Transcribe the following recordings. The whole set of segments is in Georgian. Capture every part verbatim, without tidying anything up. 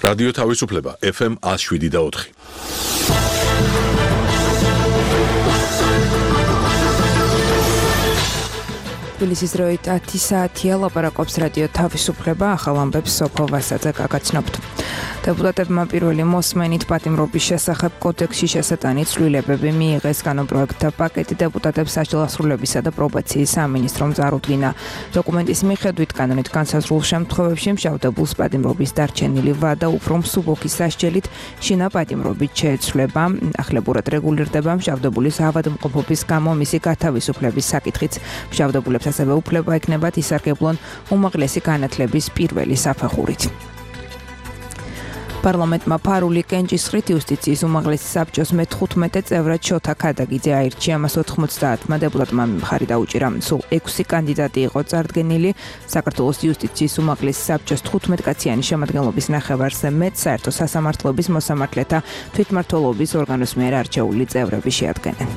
რადიო თავისუფლება ეფ ემ ათს შვიდი და ოთხი. თბილისის დროით ათი საათია ლაპარაკობს რადიო თავისუფლება, ახალ ამბებს სოფო ვასაძე გაგაცნობთ. Deputatებმა პირველი მოსმენით პატიმრობის შესახებ კოდექსში შესატანი ცვლილებები მიიღეს კანონპროექტთა პაკეტი დეპუტატებს საჯელასრულებისა და პრობაციის სამინისტრომ წარუდგინა. დოკუმენტის მიხედვით კანონით განსაზღვრულ შემთხვევებში მშავდებულს პატიმრობის დარჩენილი ვადა უფრო მსუბუქი სასჯელით შინა პატიმრობით შეეცვლება. ახლებურად რეგულირდება მშავდებულის ავადმყოფობის გამო მისი გათავისუფლების საკითხიც. მშავდებულებს ასევე უფლება ექნებათ ისარგებლონ უმაღლესი განათლების პირველი საფეხურით. პარლამენტმა ფარული კენჭისყრით იუსტიციის უმაღლესი საბჭოს მეთხუთმეტე წევრად შოთა ქადაგიძე აირჩია. მას ოთხმოცდაათმა დეპუტატმა მხარი დაუჭირა. სულ ექვსი კანდიდატი იყო წარდგენილი. საქართველოს იუსტიციის უმაღლესი საბჭოს თხუთმეტკაციანი შემადგენლობის ნახევარზე მეტ საერთო სასამართლოების მოსამართლეთა თვითმმართველობის ორგანოს მიერ არჩეული წევრები შეადგენენ.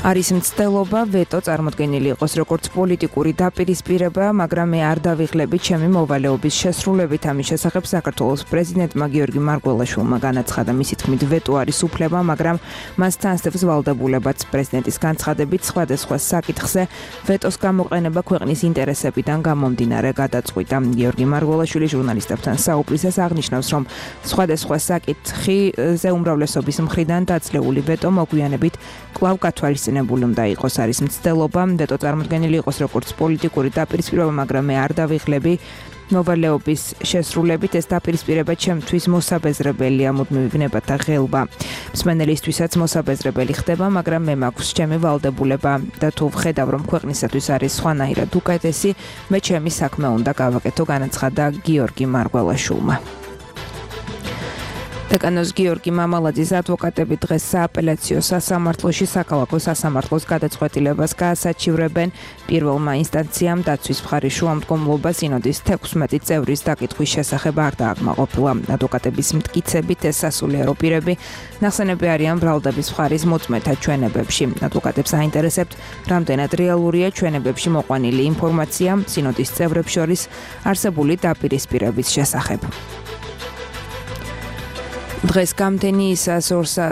არის მცდელობა ვეტო წარმოდგენილი იყოს როგორც პოლიტიკური დაპირისპირება, მაგრამ მე არ დავიღლები ჩემი მოვალეობის შესრულებით. ამის შესახებ საქართველოს პრეზიდენტმა გიორგი მარგველაშვილმა განაცხადა. მისი თქმით ვეტო არის უფლება, მაგრამ მას თანსდებს ვალდებულებაც. პრეზიდენტის განცხადებით სხვადასხვა საკითხზე ვეტოს გამოყენება ქვეყნის ინტერესებიდან გამომდინარე გადაწყვიტა. გიორგი მარგველაშვილი ჟურნალისტებთან საუბრისას აღნიშნავს, რომ სხვადასხვა საკითხზე უმრავლესობის მხრიდან დაძლეული ვეტო მოგვიანებით კვლავ გათვალისწინებულა უნდა იყოს. არის მცდელობა ვეტო წარმოდგენილი იყოს როგორც პოლიტიკური დაპირისპირება, მაგრამ მე არ დავიღლები მოვალეობის შესრულებით. ეს დაპირისპირება ჩემთვის მოსაბეზრებელია, მუდმივი ვნებათა ღელვა. მსმენელისთვისაც მოსაბეზრებელი ხდება, მაგრამ მე მაქვს ჩემი ვალდებულება და თუ ვხედავ, რომ ქვეყნისათვის არის სხვანაირად უკეთესი, მე ჩემი საქმე უნდა გავაკეთო, განაცხადა გიორგი მარგველაშვილმა. დეკანოს გიორგი მამალაძის ადვოკატები დღეს სააპელაციო სასამართლოში საქალაქო სასამართლოს გადაწყვეტილებას გაასაჩივრებენ. პირველმა ინსტანციამ დაცვის მხარის შუამდგომლობა სინოდის თექვსმეტი წევრის დაკითხვის შესახებ არ დააკმაყოფილა. ადვოკატების მტკიცებით ეს სასულიერო პირები ნახსენები არიან ბრალდების მხარის მოწმეთა ჩვენებებში. ადვოკატებს აინტერესებთ, რამდენად რეალურია ჩვენებებში მოყვანილი ინფორმაცია სინოდის წევრებს შორის არსებული დაპირისპირების შესახებ. დღეს გამთენიისას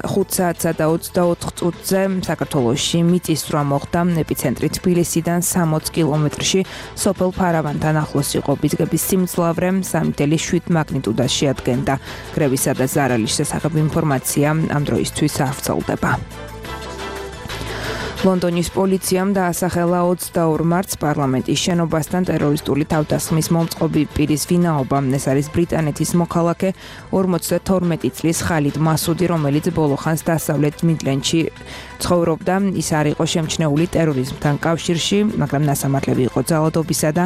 ხუთ საათსა და ოცდაოთხ წუთზე საქართველოში მიწისძვრა მოხდა. ეპიცენტრი თბილისიდან სამოც კილომეტრში სოფელ ფარავანთან ახლოს იყო. ბიძგების სიმძლავრე სამი ათეული შვიდ მაგნიტუდას შეადგენდა. კრებისა და ზარალის შესახებ ინფორმაცია ამ დროისთვის არ ვრცელდება. ლონდონის პოლიციამ დაასახელა ოცდაორ მარტს პარლამენტის შენობასთან ტერორისტული თავდასხმის მომწყობი პირის ვინაობა. ეს არის ბრიტანეთის მოქალაქე ორმოცდათორმეტი წლის ხალიდ მასუდი, რომელიც ბოლო ხანს დასავლეთ მიდლენდში ცხოვრობდა. ის არ იყო შემჩნეული ტერორიზმთან კავშირში, მაგრამ ნასამართლები იყო ძალადობისა და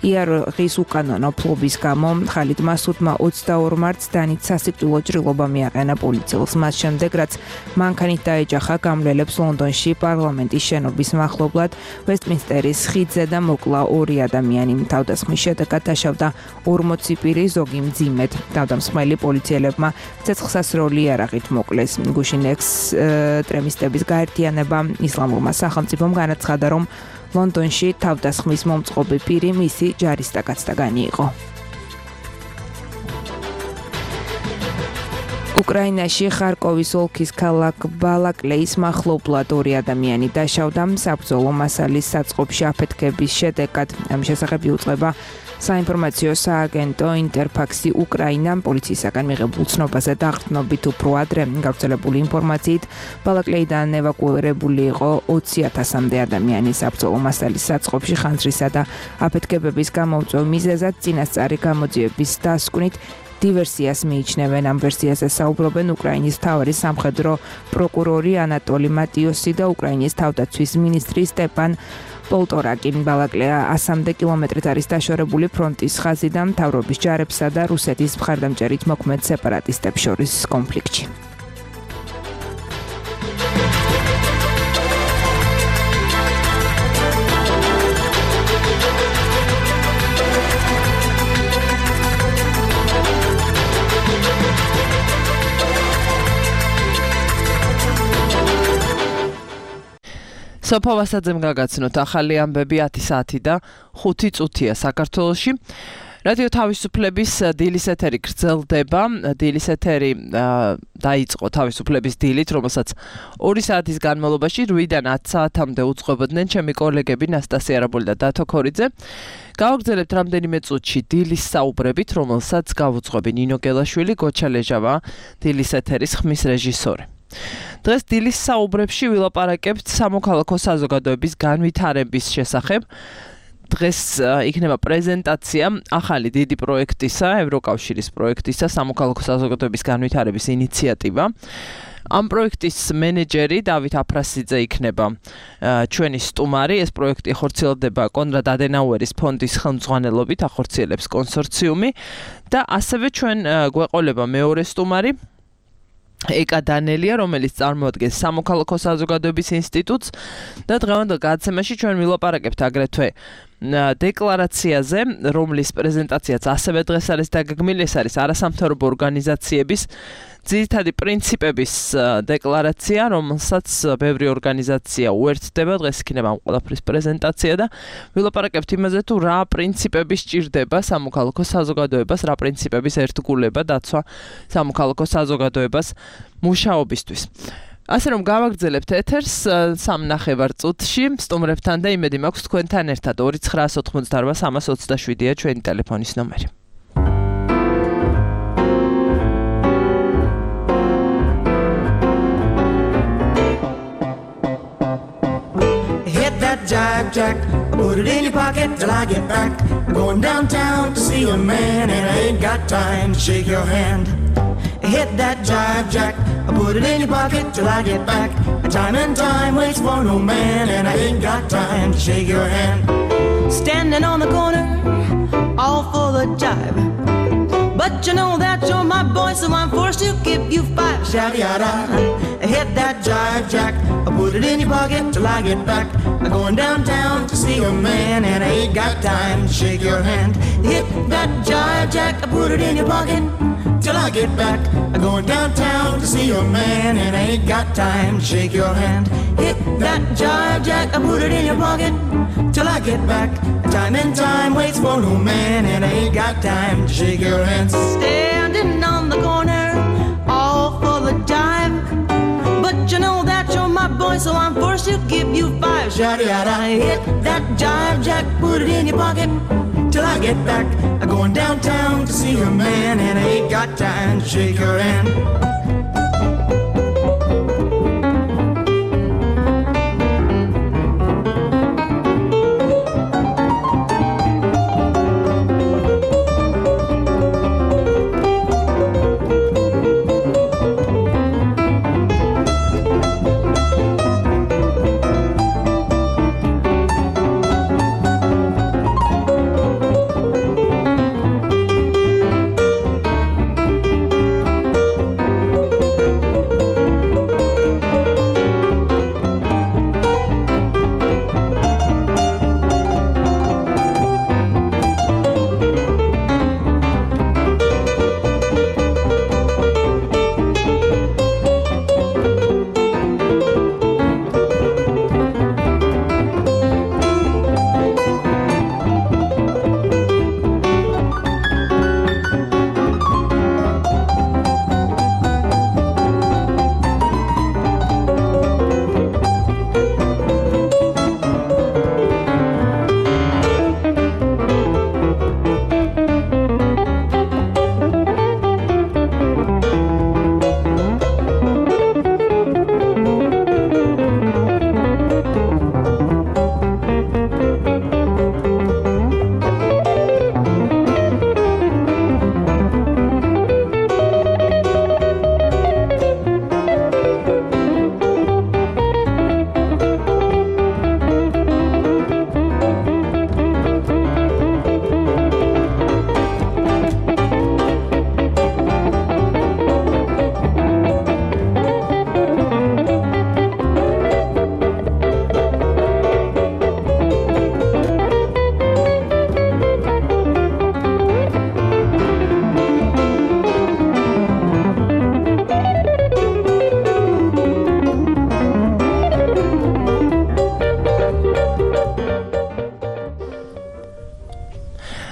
იარაღის უკანონო ფლობის გამო. ხალიდ მასუდმა ოცდაორ მარტს დანით სასიკვდილო ჭრილობა მიაყენა პოლიციელს. მას შემდეგ, რაც მანქანით დაეჯახა გამლელებს ლონდონში პარლამენტის შენობის მახლობლად ვესტმინსტერის ხიდზე და მოკლა ორი ადამიანი. თავდასხმის შედეგად დაშავდა ორმოცი პირი, ზოგი მძიმედ. თავდამსხმელი პოლიციელებმა ცეცხლსასროლი იარაღით მოკლეს. გუშინ ექსტრემისტების გაერთიანება ისლამურმა სახელმწიფომ განაცხადა, რომ ლონდონში თავდასხმის მომწყობი პირი მისი ჯარისკაცთაგანი იყო. უკრაინაში ხარკოვის ოლქის ქალაქ ბალაკლეის მახლობლად ორი ადამიანი დაშავდა საბრძოლო მასალის საწყობში აფეთქების შედეგად. ამ შესახებ იუწყება საინფორმაციო სააგენტო ინტერფაქსი უკრაინა. პოლიციისაგან მიღებულ ცნობაზე დაყრდნობით უფრო ადრე გავრცელებული ინფორმაციით ბალაკლეიდან ევაკუირებული იყო ოცი ათასამდე ადამიანი. საბრძოლო მასალის საწყობში ხანძრისა და აფეთქებების გამომწვევ მიზეზად წინასწარი გამოძიების დასკვნით დივერსიას მიიჩნევენ. ამ ვერსიაზე საუბრობენ უკრაინის მთავარი სამხედრო პროკურორი ანატოლი მატიოსი და უკრაინის თავდაცვის მინისტრი სტეპან პოლტორაკი. ბალაკლეა ასამდე კილომეტრით არის დაშორებული ფრონტის ხაზიდან მთავრობის ჯარებსა და რუსეთის მხარდამჭერით მოქმედ სეპარატისტებს შორის კონფლიქტში. სოფო ვასაძემ გაგაცნოთ ახალი ამბები ათი საათი და ხუთი წუთია საქართველოში. რადიო თავისუფლების დილის ეთერი გრძელდება. დილის ეთერი დაიწყო თავისუფლების დილით, რომელსაც ორი საათის განმავლობაში რვიდან ათ საათამდე უძღვებოდნენ ჩემი კოლეგები ნასტასია არაბული და დათო ქორიძე. გავაგრძელებთ რამდენიმე წუთში დილის საუბრებით, რომელსაც გავუძღვები ნინო გელაშვილი, გოჩა ლეჟავა, დილის ეთერის ხმის რეჟისორი. დღეს დილის საუბრებში ვილაპარაკებთ სამოქალაქო საზოგადოების განვითარების შესახებ. დღეს იქნება პრეზენტაცია ახალი დიდი პროექტისა, ევროკავშირის პროექტისა, სამოქალაქო საზოგადოების განვითარების ინიციატივა. ამ პროექტის მენეჯერი დავით აფრასიძე იქნება ჩვენი სტუმარი. ეს პროექტი ხორციელდება კონრად ადენაუერის ფონდის ხელმძღვანელობით, ახორციელებს კონსორციუმი და ასევე ჩვენ გვეყოლება მეორე სტუმარი ეკა დანელია, რომელიც წარმოადგენს სამოქალაქო საზოგადოების ინსტიტუტს და დღევანდელ გადაცემაში ჩვენ ვილაპარაკებთ აგრეთვე დეკლარაციაზე, რომლის პრეზენტაციაც ასევე დღეს არის დაგეგმილი. ეს არის არასამთავრობო ორგანიზაციების ძირითადი პრინციპების დეკლარაცია, რომელსაც ბევრი ორგანიზაცია უერთდება. დღეს იქნება ამ ყველაფრის პრეზენტაცია და ვილაპარაკებთ იმაზე, თუ რა პრინციპები სჭირდება სამოქალაქო საზოგადოებას, რა პრინციპების ერთგულება დაცვა სამოქალაქო საზოგადოებას მუშაობისთვის. ასე რომ გავაგრძელებთ ეთერს სამ ნახევარ წუთში სტუმრებთან და იმედი მაქვს თქვენთან ერთად. ორი ცხრაას ოთხმოცდაარბა სამას ოცდაშვიდია ჩვენი ტელეფონის ნომერი. Jive Jack, put it in your pocket till I get back. I'm going downtown to see a man and I ain't got time to shake your hand. Hit that jive Jack, put it in your pocket till I get back. Time and time waits for no man and I ain't got time to shake your hand. Standing on the corner, all full of jive. But you know that you're my boy, so I'm forced to give you five. Shabby-yada, hit that jive Jack, put it in your pocket till I get back. I'm going downtown to see a man and I ain't got time to shake your hand. Hit that jive Jack, put it in your pocket till I get back. I'm going downtown to see a man and I ain't got time to shake your hand. Hit that jive Jack, put it in your pocket till I get back. Time and time waits for no man and I ain't got time to shake your hand. Standing on the corner, all full of jive. But you know that you're my boy, so I'm forced to give you five. Shawty-yada, hit that jive Jack, put it in your pocket till I get back. I'm going downtown to see a man and I ain't got time to shake your hand.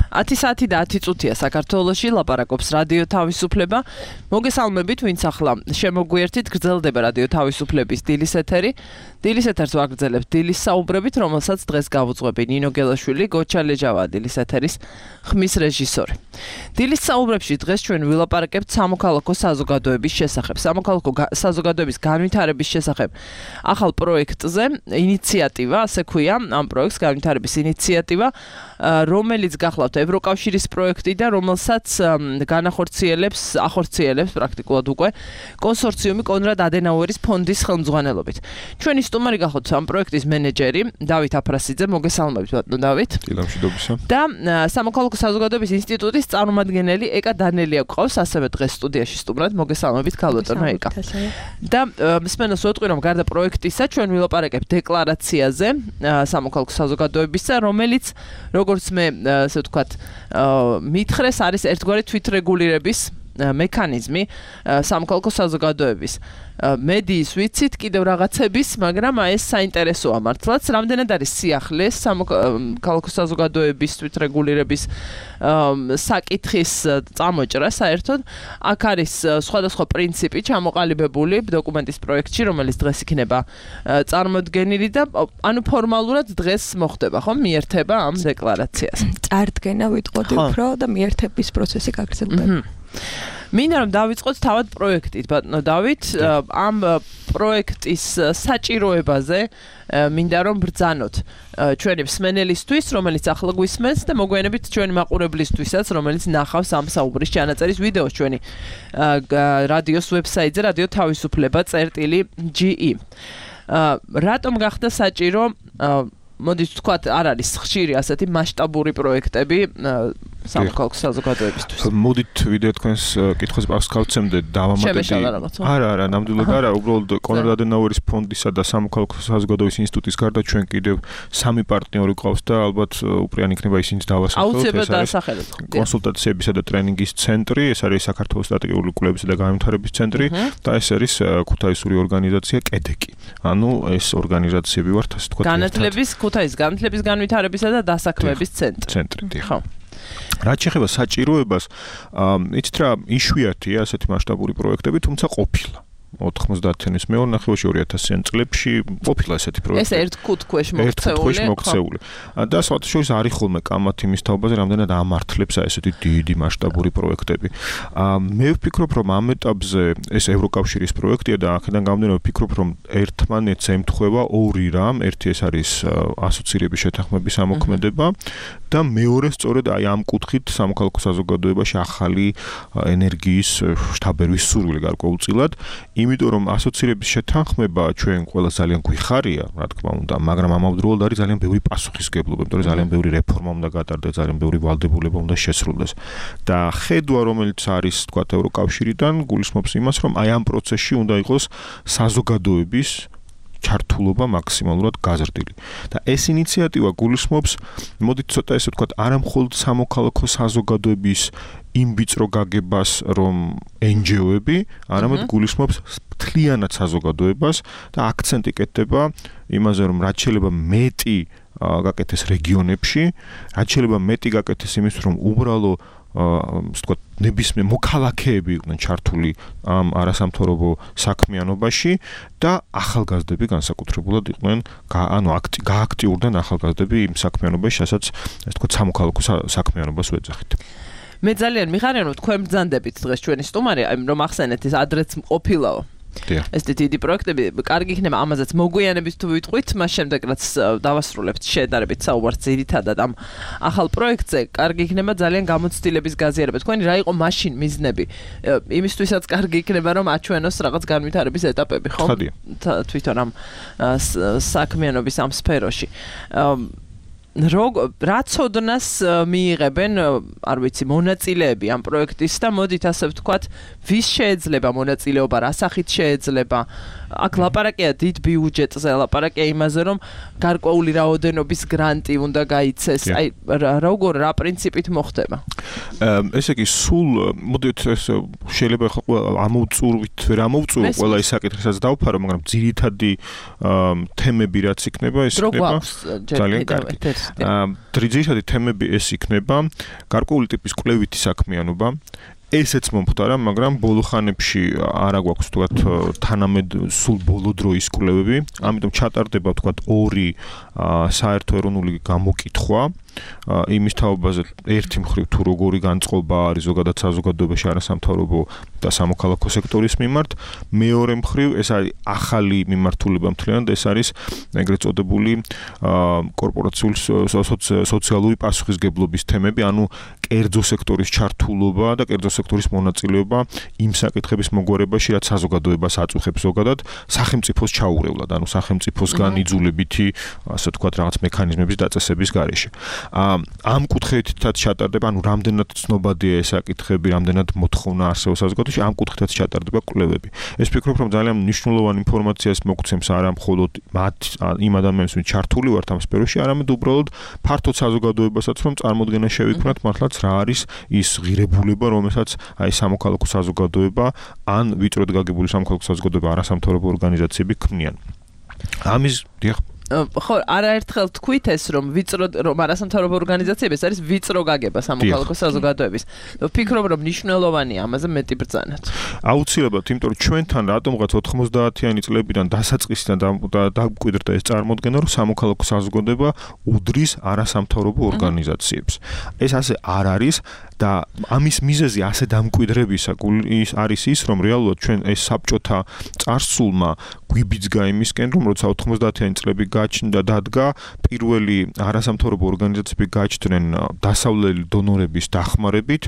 ათი საათი და ათი წუთია საქართველოში ლაპარაკობს რადიო თავისუფლება. მოგესალმებით, ვინც ახლა შემოგვიერთით, გრძელდება რადიო თავისუფლების დილის ეთერი. დილის ეთერს ვაგრძელებთ დილის საუბრებით, რომელსაც დღეს გავუძღვები ნინო გელაშვილი, გოჩა ლეჯავა დილის ეთერის ხმის რეჟისორი. დილის საუბრებში დღეს ჩვენ ვილაპარაკებთ სამოქალაქო საზოგადოების შესახებ. სამოქალაქო საზოგადოების განვითარების შესახებ ახალ პროექტზე, ინიციატივა, ასე ქვია, ამ პროექტს განვითარების ინიციატივა, რომელიც გახლავთ ევროკავშირის პროექტი და რომელსაც განახორციელებს, ახორციელებს პრაქტიკულად უკვე კონსორციუმი კონრად ადენაუერის ფონდის ხელმძღვანელობით. ჩვენი სტუმარი გახლავთ ამ პროექტის მენეჯერი დავით აფრასიძე, მოგესალმებით ბატონო დავით. დილამშვიდობისა. და სამოქალაქო საზოგადოების ინსტიტუტის წარმომადგენელი ეკა დანელია გვყავს, ასევე დღეს სტუდიაში სტუმრად, მოგესალმებით ქალბატონო ეკა. და მსმენელს ვეტყვი, რომ გარდა პროექტისა ჩვენ ვილაპარაკებთ დეკლარაციაზე სამოქალაქო საზოგადოებისა, რომელიც როგორც მე ასე ვთქვათ, მითხრეს არის ერთგვარი თვითრეგულირების მექანიზმი სამოქალაქო საზოგადოების. მედიის ვიცით კიდევ რაღაცების, მაგრამ ეს საინტერესოა მართლაც. რამდენად არის სიახლე სამოქალაქო საზოგადოების თვითრეგულირების საკითხის წამოჭრა საერთოდ. აქ არის სხვადასხვა პრინციპი ჩამოყალიბებული დოკუმენტის პროექტში, რომელიც დღეს იქნება წარმოდგენილი და ანუ ფორმალურად დღეს მოხდება, ხო? მიერთება ამ დეკლარაციას. წარდგენა ვიტყოდი უფრო და მიერთების პროცესი გაგრძელდება. მინდა რომ დავიწყოთ თავად პროექტით, ბატონო დავით, ამ პროექტის საჭიროებაზე მინდა რომ ბრძანოთ ჩვენი მსმენელისთვის, რომელიც ახლა გვისმენს და მოგვიანებით ჩვენი მაყურებლისთვისაც, რომელიც ნახავს ამ საუბრის ჩანაწერის ვიდეოს ჩვენი რადიოს ვებსაიტზე, რადიო თავისუფლება წერტილი ჯი ი. რატომ გახდა საჭირო, მოდით ვთქვათ, არ არის ხშირი ასეთი მასშტაბური პროექტები სამოქალაქო საზოგადოებისთვის. მოდით ვიდეო თქვენს კითხვას პასკავცემდე დავამატებდი. არა, არა, ნამდვილად არა, უბრალოდ კონრად ადენაუერის ფონდისა და სამოქალაქო საზოგადოების ინსტიტუტის გარდა ჩვენ კიდევ სამი პარტნიორი გვყავს და ალბათ უპირიანი იქნება ისინიც დავასახელოთ. აუცილებლად დაასახელოთ. კონსულტაციებისა და ტრენინგის ცენტრი, ეს არის საქართველოს სტრატეგიული კვლევისა და განვითარების ცენტრი და ეს არის ქუთაისური ორგანიზაცია კედეკი. ანუ ეს ორგანიზაციები ვართ, ასე ვთქვათ. განათლების ქუთაისის განათლების განვითარებისა და დასაქმების ცენტრი. ცენტრი, დიახ. ხო. რაც შეეხება საჭიროებას, იცით რა, იშვიათია ასეთი მასშტაბური პროექტები, თუმცა ყოფილა. ოთხმოცდაათი თვენის მეოთხეობაში ორი ათასიან წლებში ყოფილა ესეთი პროექტი. ეს ერთ კუთქვეშ მოქცეული. ერთ კუთქვეშ მოქცეული. და სხვათა შორის არის ხოლმე კამათი მის თაობაზე, რამდენად ამართლებს ესეთი დიდი მასშტაბური პროექტები. მე ვფიქრობ, რომ ამ ეტაპზე ეს ევროკავშირის პროექტია და აქედან გამომდინარე ვფიქრობ, რომ ერთმანეთს ემთხვევა ორი რამ, ერთი ეს არის ასოცირების შეთანხმების ამოქმედება და მეორე სწორედ აი ამ კუთხით სამოქალაქო საზოგადოებაში ახალი ენერგიის შთაბერვის სურვილი გარკვეულწილად. იმიტომ რომ ასოცირების შეთანხმება ჩვენ ყველა ძალიან გვიხარია, რა თქმა უნდა, მაგრამ ამავდროულად არის ძალიან ბევრი პასუხისგებლობა, იმიტომ რომ ძალიან ბევრი რეფორმა უნდა გატარდეს, ძალიან ბევრი ვალდებულება უნდა შესრულდეს. და ხედვა, რომელიც არის, თქვათ, ევროკავშირიდან, გულისხმობს იმას, რომ აი ამ პროცესში უნდა იყოს საზოგადოების ჩართულობა მაქსიმალურად გაზრდილი. და ეს ინიციატივა გულისხმობს, მოდით ცოტა ესე ვთქვათ, არა მხოლოდ სამოქალაქო საზოგადოების იმ ვიწრო გაგებას, რომ ენ ჯი ო-ები, არამედ გულისხმობს მთლიანად საზოგადოებას და აქცენტი კეთდება იმაზე, რომ რაც შეიძლება მეტი გაკეთდეს რეგიონებში, რაც შეიძლება მეტი გაკეთდეს იმის, რომ უბრალო ასე ვთქვათ, ნებისმიერ მოქალაქეები იყვნენ ჩართული ამ არასამთავრობო საქმიანობაში და ახალგაზრდები განსაკუთრებულად იყვნენ, ანუ გააქტიურდნენ ახალგაზრდები იმ საქმიანობაში, რასაც ასე ვთქვათ, სამოქალაქო საქმიანობას ვეძახით. მე ძალიან მიხარია, რომ თქვენ ბრძანდებით დღეს ჩვენი სტუმარი, რომ ახსენეთ ეს ადრეც ყოფილაო. ეს დიდი პროექტები, კარგი იქნება ამაზეც მოგვიანებით თუ ვიტყვით, მას შემდეგ რაც დავასრულებთ შედარებით საუბარს ძირითადად ამ ახალ პროექტზე, კარგი იქნება ძალიან გამოცდილების გაზიარება. თქვენი რა იყო მაშინ მიზნები? იმისთვისაც კარგი იქნება რომ აჩვენოს რაღაც განვითარების ეტაპები, ხო? თვითონ ამ საქმიანობის ამ სფეროში. Rog, რა ცოდნას მიიღებენ, არ ვიცი, მონაწილეები ამ პროექტის და მოდით ასე ვთქვათ, ვის შეეძლება მონაწილეობა, რა სახით შეეძლება, აქ ლაპარაკია დიდ ბიუჯეტზე, ლაპარაკია იმაზე, რომ გარკვეული რაოდენობის გრანტი უნდა გაიცეს. აი როგორ რა პრინციპით მოხდება? ესე იგი, სულ მოდით ეს შეიძლება ამოვწურვით, ვერ ამოვწურო ყველა ის საკითხისაც დავფარო, მაგრამ ძირითადი თემები რაც იქნება, ეს იქნება ძალიან კარგი. ძირითადი თემები ეს იქნება გარკვეული ტიპის კვლევითი საქმიანობა. ესეც მომხდარა, მაგრამ ბოლო ხანებში არა გვაქვს თქვათ თანამედ სულ ბოლო დროის კვლევები, ამიტომ ჩატარდება თქვათ ორი საერთო ეროვნული გამოკითხვა იმის თაობაზე ერთი მხრივ თუ როგორი განწყობა არის ზოგადად საზოგადოებაში არასამთავრობო და სამოქალაქო სექტორის მიმართ, მეორე მხრივ ეს არის ახალი მიმართულება მთლიანად, ეს არის ეგრეთ წოდებული კორპორაციული სოციალური პასუხისგებლობის თემები, ანუ კერძო სექტორის ჩართულობა და კერძო სექტორის მონაწილეობა იმ საკითხების მოგვარებაში, რაც საზოგადოებას აწუხებს ზოგადად სახელმწიფოს ჩაურევლად, ანუ სახელმწიფოსგან იძულებითი, ასე ვთქვათ, რაღაც მექანიზმების დაწესების გარეშე. ამ კუთხითაც ჩატარდება, ანუ რამდენად ცნობადია ეს საკითხები, რამდენად მოთხოვნა არსებობს საზოგადოებაში, ამ კუთხითაც ჩატარდება კვლევები. ეს ვფიქრობ, რომ ძალიან მნიშვნელოვანი ინფორმაციას მოგცემს არა მხოლოდ მათ იმ ადამიანებს, ვინც ჩართული ვართ ამ სფეროში, არამედ უბრალოდ ფართოდ საზოგადოებასაც, რომ წარმოდგენა შევიქმნათ მართლაც რა არის ის ღირებულება, რომელსაც აი სამოქალაქო საზოგადოება ან ვიწროდ გაგებული სამოქალაქო საზოგადოება არასამთავრობო ორგანიზაციები ქმნიან. ამის დიახ ხო, არაერთხელ თქვით ეს, რომ ვიწრო რომ არასამთავრობო ორგანიზაციები ეს არის ვიწრო გაგება სამოქალაქო საზოგადოების. ვფიქრობ, რომ მნიშვნელოვანია ამაზე მეტი ბრძანაც. აუცილებლად, იმიტომ რომ ჩვენთან რატომღაც ოთხმოცდაათიანი წლებიდან დასაწყისიდან დამკვიდრდა ეს წარმოდგენა, რომ სამოქალაქო საზოგადოება უდრის არასამთავრობო ორგანიზაციებს. ეს ასე არ არის და ამის მიზეზი ასე დამკვიდრებისა არის ის, რომ რეალურად ჩვენ ეს საბჭოთა წარსულმა გვიბიძგა იმისკენ, რომ როცა ოთხმოცდაათიანი წლები გაჩნდა დადგა, პირველი არასამთავრობო ორგანიზაციები გაჩნდნენ დასავლელი დონორების დახმარებით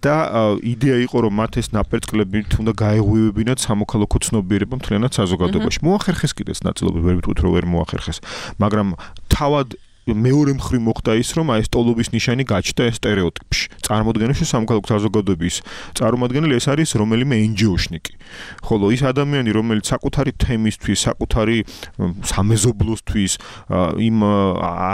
და იდეა იყო, რომ მათ ეს ნაპერწკლებით უნდა გაეღვივებინათ სამოქალაქო ცნობიერება მთლიანად საზოგადოებაში. მოახერხეს კიდეც ნაწილობრივ, ვერ ვიტყვით, რომ ვერ მოახერხეს, მაგრამ თავად მეორე მხრივ მოხდა ის, რომ აი ეს ტოლობის ნიშანი გაჩნდა ეს სტერეოტიპში. წარმოადგენს, რომ სამოქალაქო საზოგადოების წარმომადგენელი ეს არის რომელიმე ენჯიოშნიკი. ხოლო ის ადამიანი, რომელიც საკუთარი თემისთვის, საკუთარი სამეზობლოსთვის, იმ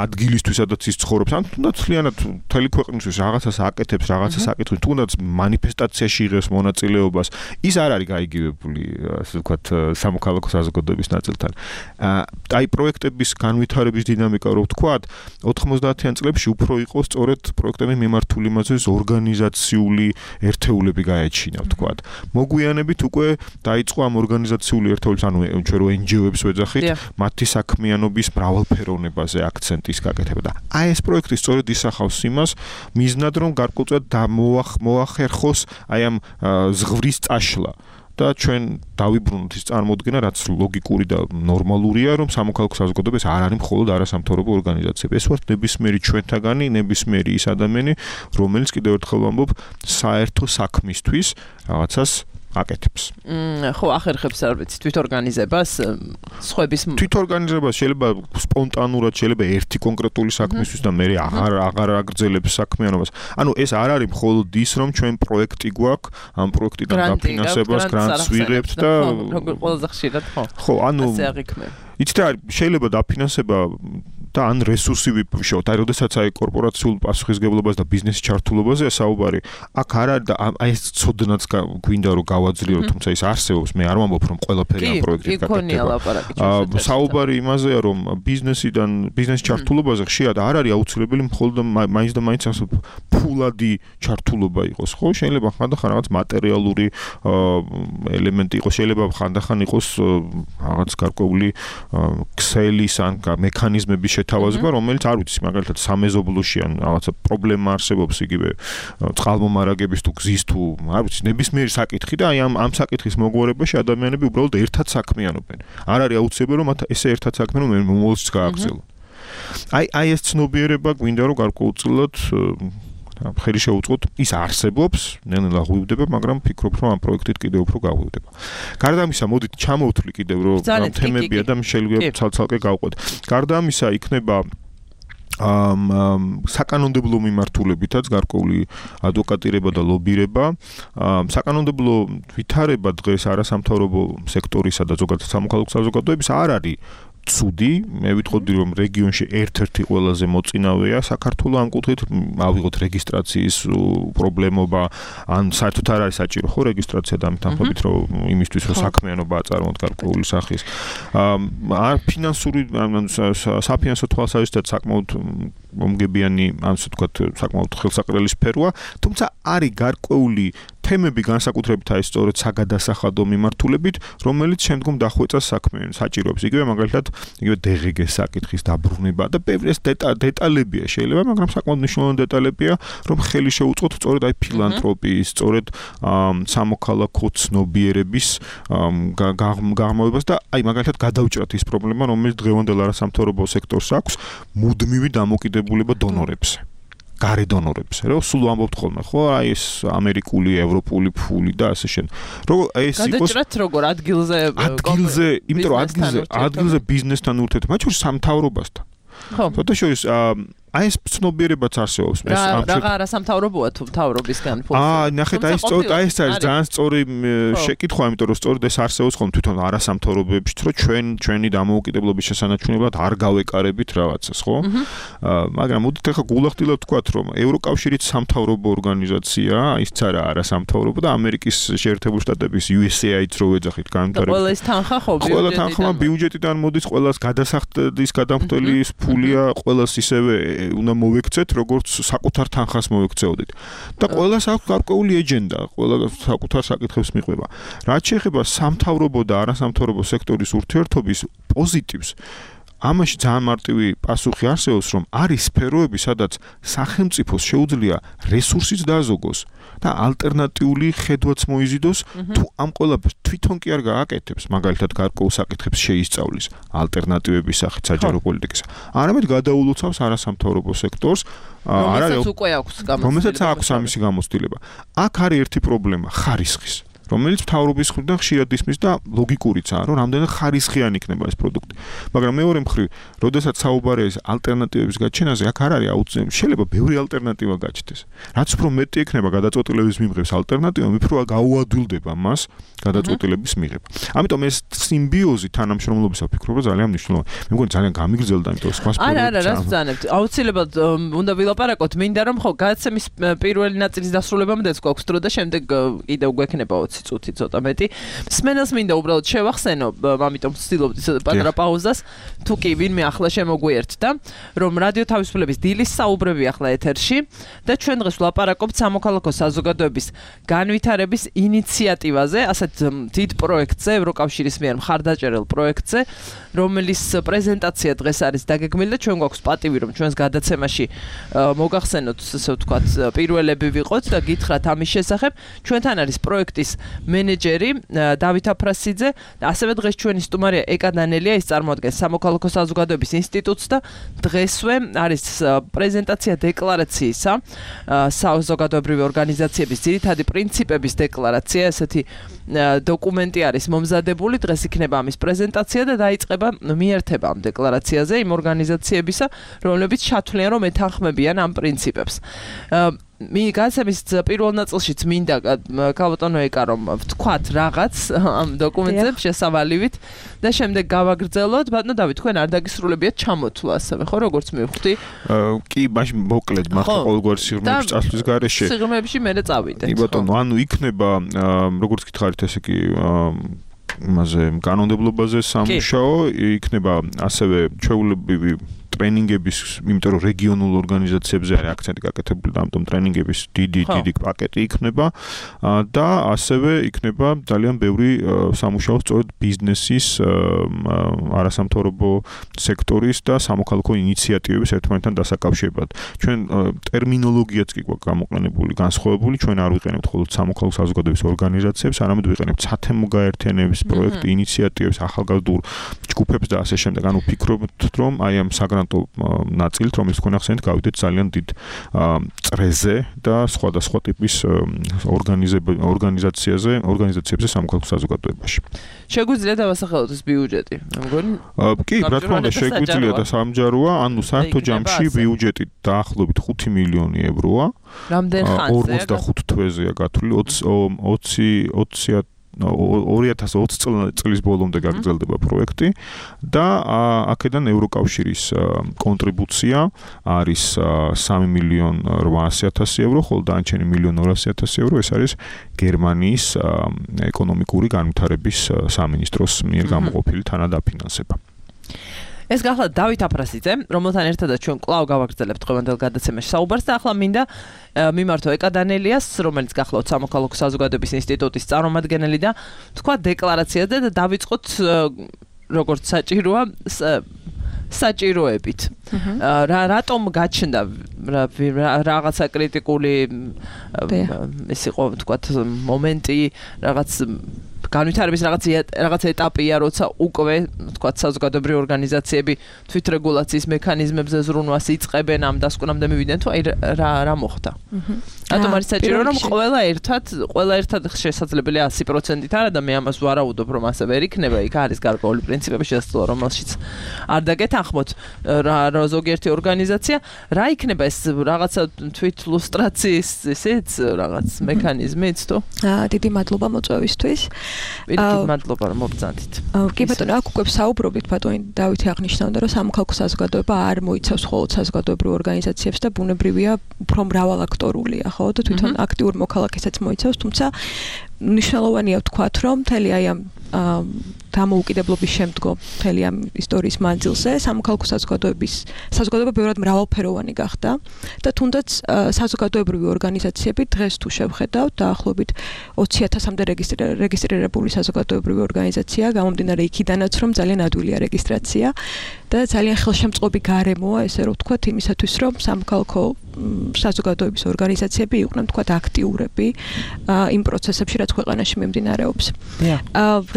ადგილისთვის, სადაც ის ცხოვრობს, ან თუნდაც მთლიანად მთელი ქვეყნისთვის რაღაცას აკეთებს, რაღაცას აკეთებს, თუნდაც მანიფესტაციაში იღებს მონაწილეობას, ის არ არის გაიგივებული, ასე ვთქვათ, სამოქალაქო საზოგადოების ნაწილთან. აი პროექტების განვითარების დინამიკა, რო ვთქვათ, ოთხმოცდაათიან წლებში უფრო იყო სწორედ პროექტების მიმართული იმაზე ორგანიზაციული ერთეულები გაეჩინა, ვთქვათ. მოგვიანებით უკვე დაიწყო ამ ორგანიზაციული ერთეულების, ანუ ჩვენ რო ენჯიოებს ვეძახით, მათი საქმიანობის მრავალფეროვნებაზე აქცენტის გაკეთება და აი ეს პროექტი სწორედ ისახავს იმას, მიზნად რომ გარკვეულწილად მოახერხოს აი ამ ზღვრის წაშლა. და ჩვენ დავიბრუნოთ ის წარმოდგენა, რაც ლოგიკური და ნორმალურია, რომ სამოქალაქო საზოგადოებას არ არის მხოლოდ არასამთავრობო ორგანიზაციები. ეს ვართ ნებისმიერი ჩვენთაგანი, ნებისმიერი ის ადამიანი, რომელიც კიდევ ერთხელ ვამბობ, საერთო საქმისთვის რაღაცას აკეთებს. ხო, ახერხებს არ ვიცი, თვითორგანიზებას, სხვების თვითორგანიზებას შეიძლება სპონტანურად, შეიძლება ერთი კონკრეტული საქმისთვის და მე აღარ აღარ აგრძელებს საქმიანობას. ანუ ეს არ არის მხოლოდ ის, რომ ჩვენ პროექტი გვაქვს, ამ პროექტიდან დაფინანსებას, გრანტს ვიღებთ და როგორ ყველაზე ხშირად ხო. ხო, ანუ ასე აღიქმება. იცით რა, შეიძლება დაფინანსება და ან რესურსი ვიფშოთ. აი, როდესაც აი კორპორაციულ პასუხისგებლობას და ბიზნესის ჩართულობაზე საუბარი, აქ არ არის და აი ეს ცოდნაც გვინდა რომ გავაძლიერო, თუმცა ის არსებობს, მე არ ვამბობ რომ ყველაფერი ამ პროექტით გაკეთდება. საუბარი იმაზეა, რომ ბიზნესიდან ბიზნესის ჩართულობაზე ხშირად არ არის აუცილებელი მხოლოდ მაინც და მაინც ასე ფულადი ჩართულობა იყოს, ხო? შეიძლება ხანდახან რაღაც მატერიალური ელემენტი იყოს, შეიძლება ხანდახან იყოს რაღაც გარკვეული ქსელის ან მექანიზმების შეთავაზება, რომელიც არ ვიცი, მაგალითად სამეზობლოში ან რაღაცა პრობლემა არსებობს იგივე წყალმომარაგების თუ გზის თუ არ ვიცი, ნებისმიერი საკითხი და აი ამ ამ საკითხის მოგვარებაში ადამიანები უბრალოდ ერთად საქმიანობენ. არ არის აუცილებელი, რომ მათ ესე ერთად საქმიანობენ, მომავალშიც გააგრძელონ. აი აი ეს ცნობიერება გვინდა რომ გარკვეულწილად ხელი შეუწყოთ, ის არსებობს, ნელ-ნელა ღვივდება, მაგრამ ფიქრობ, რომ ამ პროექტით კიდევ უფრო გაღვივდება. გარდა ამისა, მოდით ჩამოვთვლი კიდევ, რომ თემებია და შეიძლება ცალ-ცალკე გავყვეთ. გარდა ამისა, იქნება ამ საკანონმდებლო მიმართულებითაც გარკვეული ადვოკატირება და ლობირება, საკანონმდებლო ვითარება დღეს არასამთავრობო სექტორისა და ზოგადად სამოქალაქო საზოგადოების არ არის ცუდი, მე ვიტყოდი რომ რეგიონში ერთ-ერთი ყველაზე მოწინავეა საქართველოს ამ კუთხით, ავიღოთ რეგისტრაციის პრობლემობა, ან საერთოდ არ არის საჭირო ხო რეგისტრაცია და ამიტომობით რომ იმისთვის რომ საქმიანობა აწარმოოთ გარკვეული სახის. არ ფინანსური საფინანსო თვალსაზრისით საკმაოდ მომგებიანი, ან ასე ვთქვათ, საკმაოდ ხელსაყრელი სფეროა, თუმცა არის გარკვეული თემები განსაკუთრებით აი სწორედ საგადასახადო მიმართულებით, რომელიც შემდგომ დახვეწას საქმეებს საჭიროებს. იგივე მაგალითად, იგივე დღგ-ის საკითხის დაბრუნება და ბევრი ეს დეტალებია შეიძლება, მაგრამ საკმაოდ მნიშვნელოვანი დეტალებია, რომ ხელი შეუწყოთ სწორედ აი ფილანთროპიის, სწორედ სამოქალაქო ცნობიერების გაღრმავებას და აი მაგალითად გადავჭრათ ის პრობლემა, რომელიც დღევანდელ არასამთავრობო სექტორს აქვს, მუდმივი დამოკიდებულება დონორებზე. გარე დონორებზე, რომ სულ ამბობთ ხოლმე, ხო, აი ეს ამერიკული, ევროპული ფული და ასე შენ. რომ ეს იყოს გადაჭრათ როგორ ადგილზე ადგილზე, იმიტომ რომ ადგილზე, ადგილზე ბიზნესთან ურთიერთობა, მათ შორის სამთავრობასთან. ხო. თოთა შორის აი ეს ცნობიერებაც არსებობს ეს ამ რა არასამთავრობოა თუ მთავრობისგან ფულს. აა, ნახეთ, აი სწორედ აი ეს არის ძალიან სწორი შეკითხვა, იმიტომ რომ სწორედ ეს არსებობს ხოლმე თვითონ არასამთავრობოებშიც, რომ ჩვენ ჩვენი დამოუკიდებლობის შესანარჩუნებლად არ გავეკარებით რაღაცას, ხო? მაგრამ მოდით ახლა გულახდილად ვთქვათ, რომ ევროკავშირიც სამთავრობო ორგანიზაცია, ისიც არა არასამთავრობო და ამერიკის შეერთებული შტატების U S A I-ც რო ვეძახით განვითარებით. ყველა ეს თანხა ხო ბიუჯეტიდან. ყველა თანხა ბიუჯეტიდან მოდის, ყველას გადასახადის გადამხდელის ფულია, ყველას ისევე უნდა მოვექცეთ, როგორც საკუთარ თანხას მოვექცეოდით. და ყველას აქვს გარკვეული ეჯენდა, ყველა საკუთარ საკითხებს მიყვება. რაც შეეხება სამთავრობო და არასამთავრობო სექტორის ურთიერთობის პოზიტივს, ამაში ძალიან მარტივი პასუხი არსებობს, რომ არის სფეროები, სადაც სახელმწიფოს შეუძლია რესურსიც დააზოგოს და ალტერნატიული ხედვაც მოიზიდოს, თუ ამ ყველაფერს თვითონ კი არ გააკეთებს, მაგალითად გარკვეულ საკითხებს შეისწავლის ალტერნატივების სახით საჯარო პოლიტიკისა. არამედ გადაულოცავს არასამთავრობო სექტორს, არ არის უკვე აქვს გამოცდილება. რომელსაც აქვს ამისი გამოცდილება. აქ არის ერთი პრობლემა, ხარისხის. რომელიც მთავრობის მხრიდან ხშირად ისმის და ლოგიკურიცაა, რომ რამდენად ხარისხიანი იქნება ეს პროდუქტი. მაგრამ მეორე მხრივ, როდესაც საუბარია ეს ალტერნატივების გაჩენაზე, აქ არ არის აუცილებელი, შეიძლება ბევრი ალტერნატივა გაჩნდეს. რაც უფრო მეტი იქნება გადაწყვეტილების მიღების ალტერნატივა, მით უფრო გაუადვილდება მას გადაწყვეტილების მიღება. ამიტომ ეს სიმბიოზი თანამშრომლობისა ვფიქრობ, რომ ძალიან მნიშვნელოვანია. მე მგონი ძალიან გამიგრძელდა, იმიტომ რომ სხვა არა, არა, რას ვძანებთ? აუცილებლად უნდა ვილაპარაკოთ, მინდა რომ ხო, გადაცემის პირველი ნაწილის დასრულებამდეც გვაქვს დრო და შემდეგ კიდევ გვექნება ოცი წუთი ცოტა მეტი. მსმენელს მინდა უბრალოდ შევახსენო, ამიტომ ვცდილობთ პატარა პაუზას, თუ კი ვინმე ახლა შემოგვიერთდა, რომ რადიო თავისუფლების დილის საუბრები ახლა ეთერში და ჩვენ დღეს ვლაპარაკობთ სამოქალაქო საზოგადოების განვითარების ინიციატივაზე, ასეთ დიდ პროექტზე, ევროკავშირის მიერ მხარდაჭერილ პროექტზე, რომლის პრეზენტაცია დღეს არის დაგეგმილი და ჩვენ გვაქვს პატივი, რომ ჩვენს გადაცემაში მოგახსენოთ, ასე ვთქვათ, პირველები ვიყოთ და გითხრათ ამის შესახებ. ჩვენთან არის პროექტის მენეჯერი დავით აფრასიძე და ასევე დღეს ჩვენი სტუმარია ეკა დანელია, ის წარმოადგენს სამოქალაქო საზოგადოების ინსტიტუტს და დღესვე არის პრეზენტაცია დეკლარაციისა საზოგადოებრივი ორგანიზაციების ძირითადი პრინციპების დეკლარაცია, ესეთი დოკუმენტი არის მომზადებული, დღეს იქნება ამის პრეზენტაცია და დაიწყება მიერთება ამ დეკლარაციაზე იმ ორგანიზაციებისა, რომლებიც ჩათვლიან, რომ ეთანხმებიან ამ პრინციპებს. მე გასცემის პირველ ნაწილშიც მინდა კალბატონო ეკა რომ ვთქვათ რაღაც ამ დოკუმენტებს შესავალივით და შემდეგ გავაგრძელოთ. ბატონო დავით, თქვენ არ დაგისრულებიათ ჩამოთვლა ასევე, ხო, როგორც მივხვდი? კი, მაშინ მოკლედ მახლა ყოველგვარ სიღრმეებში წასვლის გარეშე. სიღრმეებში მე წავიდეთ. კი ბატონო, ანუ იქნება როგორც გითხარით, ესე კი იმაზე კანონმდებლობაზე სამუშაო, იქნება ასევე ჩვეულებრივი ტრენინგების, იმიტომ რომ რეგიონულ ორგანიზაციებზე არის აქცენტი გაკეთებული და ამიტომ ტრენინგების დიდი დიდი პაკეტი იქნება და ასევე იქნება ძალიან ბევრი სამუშაო სწორედ ბიზნესის, არასამთავრობო სექტორის და სამოქალაქო ინიციატივების ერთმანეთთან დასაკავშირებლად. ჩვენ ტერმინოლოგიაც კი გვაქვს გამოყენებული, განსხვავებული, ჩვენ არ ვიყენებთ მხოლოდ სამოქალაქო საზოგადოების ორგანიზაციებს, არამედ ვიყენებთ სათემო გაერთიანების პროექტ ინიციატივებს, ახალგაზრდულ ჯგუფებს და ასე შემდეგ. ანუ ვფიქრობთ, რომ აი ამ საგრან საგრანტო ნაწილით, რომელიც ქონახსენით გავიდეთ ძალიან დიდ წრეზე და სხვადასხვა ტიპის ორგანიზაციაზე, ორგანიზაციებზე სამოქალაქო საზოგადოებაში. შეგვიძლია დავასახელოთ ეს ბიუჯეტი, მე მგონი? კი, რა თქმა უნდა, შეგვიძლია და სამჯაროა, ანუ საერთო ჯამში ბიუჯეტი დაახლოებით ხუთი მილიონი ევროა. რამდენ ხანზეა? ორმოცდახუთ თვეზეა გათვლილი, ოცი ორი ათას ოცი წლის ბოლომდე გაგრძელდება პროექტი და აქედან ევროკავშირის კონტრიბუცია არის სამი მილიონი რვაასი ათასი ევრო, ხოლო დანარჩენი მილიონი ორასი ათასი ევრო ეს არის გერმანიის ეკონომიკური განვითარების სამინისტროს მიერ გამოყოფილი თანადაფინანსება. ეს გახლავთ დავით აფრასიძე, რომელთან ერთადაც ჩვენ კვლავ გავაგრძელებთ დღევანდელ გადაცემაში საუბარს და ახლა მინდა მიმართო ეკა დანელიას, რომელიც გახლავთ სამოქალაქო საზოგადოების ინსტიტუტის წარმომადგენელი და თქვა დეკლარაციაზე და დავიწყოთ როგორც საჭიროა საჭიროებით. რა რატომ გაჩნდა რაღაცა კრიტიკული ეს იყო თქვა მომენტი, რაღაც განვითარების რაღაც რაღაც ეტაპია, როცა უკვე თქვა საზოგადოებრივი ორგანიზაციები თვითრეგულაციის მექანიზმებზე ზრუნვას იწყებენ, ამ დასკვნამდე მივიდნენ თუ აი რა რა მოხდა. რატომ არის საჭირო რომ ყველა ერთად, ყველა ერთად შესაძლებელია ასი პროცენტით არა და მე ამას ვარაუდობ რომ ასე ვერ იქნება, იქ არის გარკვეული პრინციპები შესაძლოა რომელშიც არ დაგეთანხმოთ რა ზოგიერთი ორგანიზაცია, რა იქნება ეს რაღაცა თვითლუსტრაციის ესეც რაღაც მექანიზმიც თუ? აა დიდი მადლობა მოწვევისთვის. პირიქით მადლობა რომ მობრძანდით. კი ბატონო, აქ უკვე საუბრობთ ბატონი დავითი აღნიშნავდა რომ სამოქალაქო საზოგადოება არ მოიცავს მხოლოდ საზოგადოებრივ ორგანიზაციებს და ბუნებრივია უფრო მრავალაქტორულია, ხო და თვითონ აქტიურ მოქალაქესაც მოიცავს, თუმცა მნიშვნელოვანია ვთქვათ რომ მთელი აი ამ დამოუკიდებლობის შემდგომ მთელი ამ ისტორიის მანძილზე სამოქალაქო საზოგადოების საზოგადოება ბევრად მრავალფეროვანი გახდა და თუნდაც საზოგადოებრივი ორგანიზაციები დღეს თუ შევხედავთ დაახლოებით ოცი ათასამდე რეგისტრირებული საზოგადოებრივი ორგანიზაცია გამომდინარე იქიდანაც რომ ძალიან ადვილია რეგისტრაცია და ძალიან ხელშემწყობი გარემოა ესე რომ ვთქვათ იმისათვის რომ სამოქალაქო საზოგადოების ორგანიზაციები იყვნენ ვთქვათ აქტიურები იმ პროცესებში რაც ქვეყანაში მიმდინარეობს.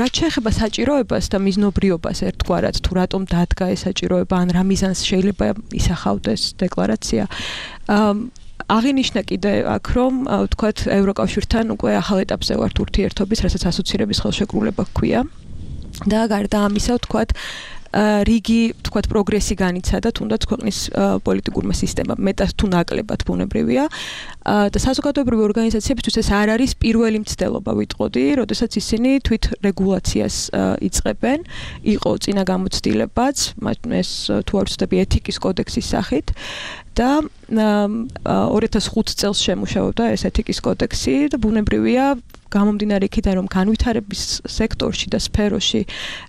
რაც შეეხება საჭიროებას და მიზნობრიობას ერთგვარად თუ რატომ დადგა ეს საჭიროება ან რა მიზანს შეიძლება ისახავდეს დეკლარაცია. აღინიშნა კიდე აქ რომ ვთქვათ ევროკავშირთან უკვე ახალ ეტაპზე ვართ ურთიერთობის, რასაც ასოცირების ხელშეკრულება ჰქვია და გარდა ამისა ვთქვათ რიგი თქვათ პროგრესი განიცადა თუნდაც ქვეყნის პოლიტიკურმა სისტემამ მეტად თუ ნაკლებად ბუნებრივია და საზოგადოებრივი ორგანიზაციებისთვის ეს არ არის პირველი მცდელობა ვიტყოდი, როდესაც ისინი თვით რეგულაციას იწყებენ, იყო წინა გამოცდილებაც, ეს თუ არ ვცდები ეთიკის კოდექსის სახით და ორი ათას ხუთი წელს შემუშავებდა ეს ეთიკის კოდექსი და ბუნებრივია გამომდინარე იქიდან რომ განვითარების სექტორში და სფეროში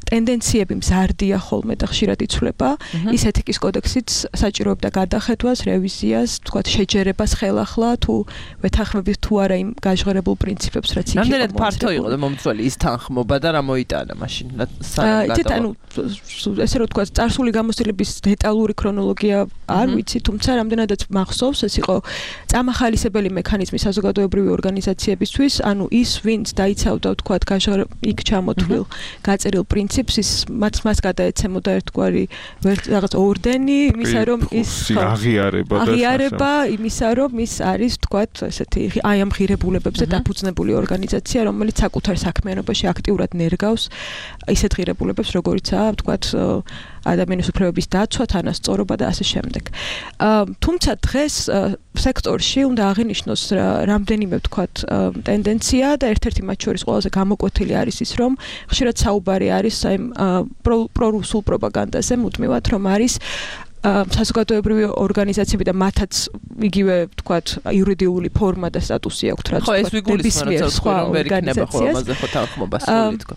ტენდენციები მზარდია ხოლმე და ხშირად იცვლება, ის ეთიკის კოდექსიც საჭიროებდა გადახედვას, რევიზიას, თქვათ შეჯერებას ხელახლა თუ ვეთანხმებით თუ არა იმ გაჟღერებულ პრინციპებს, რაც იქ იყო. რამდენად ფართო იყო და მომწველი ის თანხმობა და რა მოიტანა მაშინ სანამ გადავა. ანუ ესე რომ თქვათ წარსული გამოცდილების დეტალური ქრონოლოგია არ ვიცი, თუმცა რამდენადაც მახსოვს, ეს იყო წამახალისებელი მექანიზმი საზოგადოებრივი ორგანიზაციებისთვის, ანუ ის ვინც დაიცავდა თქვათ იქ ჩამოთვლილ გაწერილ პრინციპს ის მათ მას გადაეცემოდა ერთგვარი რაღაც ორდენი იმისა რომ ის აღიარება და აღიარება იმისა რომ ის არის თქვათ ესეთი აი ამ ღირებულებებზე დაფუძნებული ორგანიზაცია რომელიც საკუთარ საქმიანობაში აქტიურად ნერგავს ისეთ ღირებულებებს როგორიცაა თქვათ ადამიანის უფლებების დაცვა, თანასწორობა და ასე შემდეგ. თუმცა დღეს სექტორში უნდა აღინიშნოს რამდენიმე ვთქვათ ტენდენცია და ერთ-ერთი მათ შორის ყველაზე გამოკვეთილი არის ის, რომ ხშირად საუბარი არის აი პრორუსულ პროპაგანდაზე, მუდმივად რომ არის საზოგადოებრივი ორგანიზაციები და მათაც იგივე ვთქვათ იურიდიული ფორმა და სტატუსი აქვთ რაც ვთქვათ. ხო, ეს ვიგულისხმობთ, რომ ვერ იქნება ხო ამაზე ხო თანხმობა სული თქო.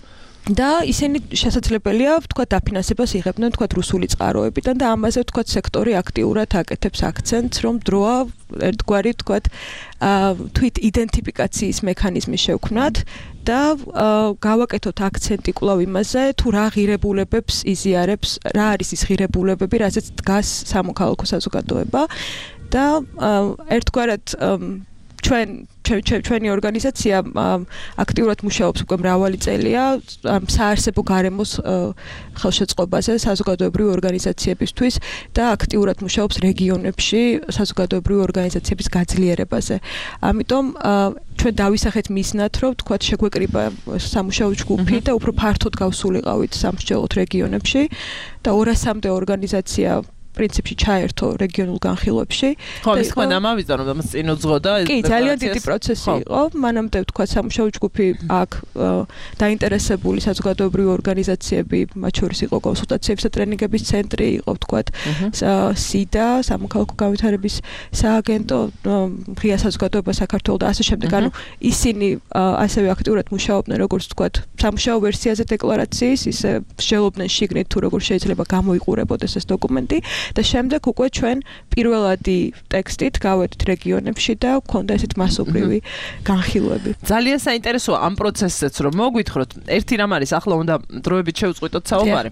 და ისინი შესაძლებელია ვთქვათ დაფინანსებას იღებდნენ ვთქვათ რუსული წყაროებიდან და ამაზე ვთქვათ სექტორი აქტიურად აკეთებს აქცენტს რომ დროა ერთგვარი ვთქვათ თვით იდენტიფიკაციის მექანიზმი შევქმნათ და გავაკეთოთ აქცენტი კვლავ იმაზე თუ რა ღირებულებებს იზიარებს რა არის ის ღირებულებები რაზეც დგას სამოქალაქო საზოგადოება და ერთგვარად ჩვენ ჩვენი ორგანიზაცია აქტიურად მუშაობს უკვე მრავალი წელია საარსებო გარემოს ხელშეწყობაზე საზოგადოებრივი ორგანიზაციებისთვის და აქტიურად მუშაობს რეგიონებში საზოგადოებრივი ორგანიზაციების გაძლიერებაზე. ამიტომ ჩვენ დავისახეთ მიზნად, რომ თქვათ შეგვეკრიბა სამუშაო ჯგუფი და უფრო ფართოდ გავსულიყავით სამსჯელოთ რეგიონებში და ორასამდე ორგანიზაცია პრინციპში ჩაერთო რეგიონულ განხილვებში. ხო, ის თქვენ ამავიზდა, რომ ამას წინ უძღოდა ეს. კი, ძალიან დიდი პროცესი იყო. მანამდე თქვა სამუშაო ჯგუფი აქ დაინტერესებული საზოგადოებრივი ორგანიზაციები, მათ შორის იყო კონსულტაციების და ტრენინგების ცენტრი, იყო თქვა სიდა, სამოქალაქო განვითარების სააგენტო, ღია საზოგადოება საქართველოს და ასე შემდეგ. ანუ ისინი ასევე აქტიურად მუშაობდნენ, როგორც თქვა, სამუშაო ვერსიაზე დეკლარაციის, ისე მსჯელობდნენ შიგნით თუ როგორ შეიძლება გამოიყურებოდეს ეს დოკუმენტი. და შემდეგ უკვე ჩვენ პირველადი ტექსტით გავედით რეგიონებში და გვქონდა ესეთ მასობრივი განხილვები. ძალიან საინტერესოა ამ პროცესზეც რომ მოგვითხროთ. ერთი რამ არის, ახლა უნდა დროებით შევწყვიტოთ საუბარი.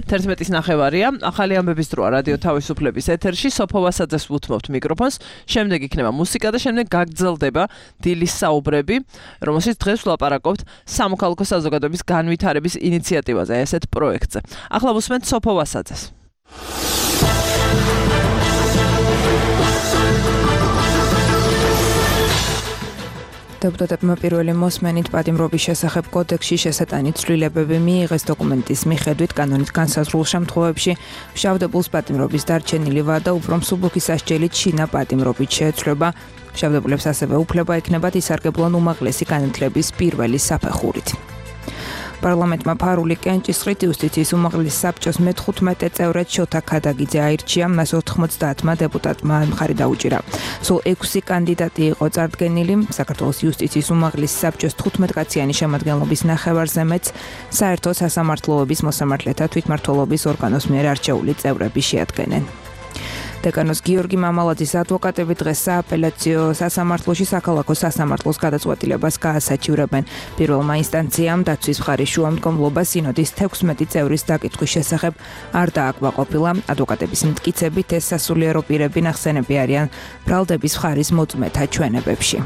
თერთმეტის ნახევარია, ახალი ამბების დროა რადიო თავისუფლების ეთერში, სოფო ვასაძეს ვუთმობთ მიკროფონს, შემდეგ იქნება მუსიკა და შემდეგ გაგრძელდება დილის საუბრები, რომელშიც დღეს ვლაპარაკობთ სამოქალაქო საზოგადოების განვითარების ინიციატივაზე, ესეთ პროექტზე. ახლა ვუსმენთ სოფო ვასაძეს. დეპუტატებმა პირველი მოსმენით პატიმრობის შესახებ კოდექსში შესატანი ცვლილებები მიიღეს. დოკუმენტის მიხედვით კანონით განსაზღვრულ შემთხვევებში მშავდებულს პატიმრობის დარჩენილი ვადა უფრო მსუბუქი სასჯელით შინა პატიმრობით შეეცვლება. მშავდებულებს ასევე უფლება ექნებათ ისარგებლონ უმაღლესი განათლების პირველი საფეხურით. პარლამენტმა ფარული კენჭისყრით იუსტიციის უმაღლესი საბჭოს მეთხუთმეტე წევრად შოთა ქადაგიძე აირჩია, მას ოთხმოცდაათმა დეპუტატმა მხარი დაუჭირა. სულ ექვსი კანდიდატი იყო წარდგენილი. საქართველოს იუსტიციის უმაღლესი საბჭოს თხუთმეტკაციანი შემადგენლობის ნახევარზე მეც საერთო სასამართლოების მოსამართლეთა თვითმმართველობის ორგანოს მიერ არჩეული წევრები შეადგენენ. დეკანოს გიორგი მამალაძის ადვოკატები დღეს სააპელაციო სასამართლოში საქალაქო სასამართლოს გადაწყვეტილებას გაასაჩივრებენ. პირველმა ინსტანციამ დაცვის მხარის შუამდგომლობა სინოდის თექვსმეტი წევრის დაკითხვის შესახებ არ დააკმაყოფილა. ადვოკატების მტკიცებით ეს სასულიერო პირები ნახსენები არიან ბრალდების მხარის მოწმეთა ჩვენებებში.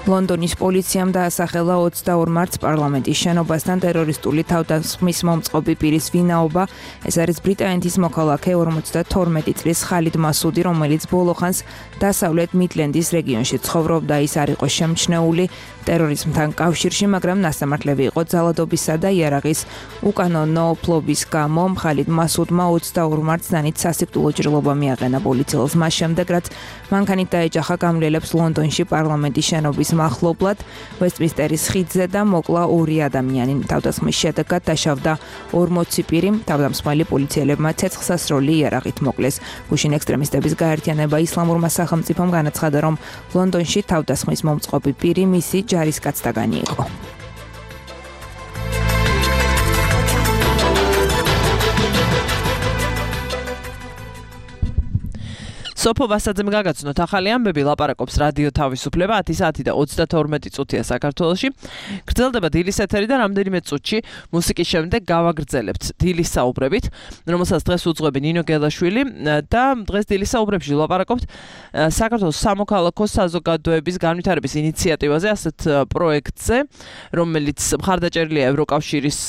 ლონდონის პოლიციამ დაასახელა ოცდაორ მარტს პარლამენტის შენობასთან ტერორისტული თავდასხმის მომწყობი პირის ვინაობა. ეს არის ბრიტანეთის მოქალაქე ორმოცდათორმეტი წლის ხალიდ მასუდი, რომელიც ბოლოხანს დასავლეთ მიდლენდის რეგიონში ცხოვრობდა. ის არ იყო შემჩნეული ტერორიზმთან კავშირში, მაგრამ ნასამართლები იყო ძალადობისა და იარაღის უკანონო ფლობის გამო. ხალიდ მასუდმა ოცდაორ მარტს დანით სასიკვდილო ჭრილობა მიაყენა პოლიციელს მას შემდეგ, რაც მანქანით დაეჯახა გამლელებს ლონდონში პარლამენტის შენობის მახლობლად ვესტმინსტერის ხიდზე და მოკლა ორი ადამიანი. თავდასხმის შედეგად დაშავდა ორმოცი პირი. თავდამსხმელი პოლიციელებმა ცეცხლსასროლი იარაღით მოკლეს. გუშინ ექსტრემისტების გაერთიანება ისლამურმა სახელმწიფომ განაცხადა, რომ ლონდონში თავდასხმის მომწყობი პირი მისი ჯარისკაცთაგანი იყო. სოფო ვასაძემ გაგაცნოთ ახალი ამბები, ლაპარაკობს რადიო თავისუფლება ათი საათი და ოცდათორმეტი წუთია საქართველოში. გრძელდება დილის ეთერი და რამდენიმე წუთში მუსიკის შემდეგ გავაგრძელებთ დილის საუბრებით, რომელსაც დღეს უძღვები ნინო გელაშვილი და დღეს დილის საუბრებში ლაპარაკობთ საქართველოს სამოქალაქო საზოგადოების განვითარების ინიციატივაზე, ასეთ პროექტზე, რომელიც მხარდაჭერილია ევროკავშირის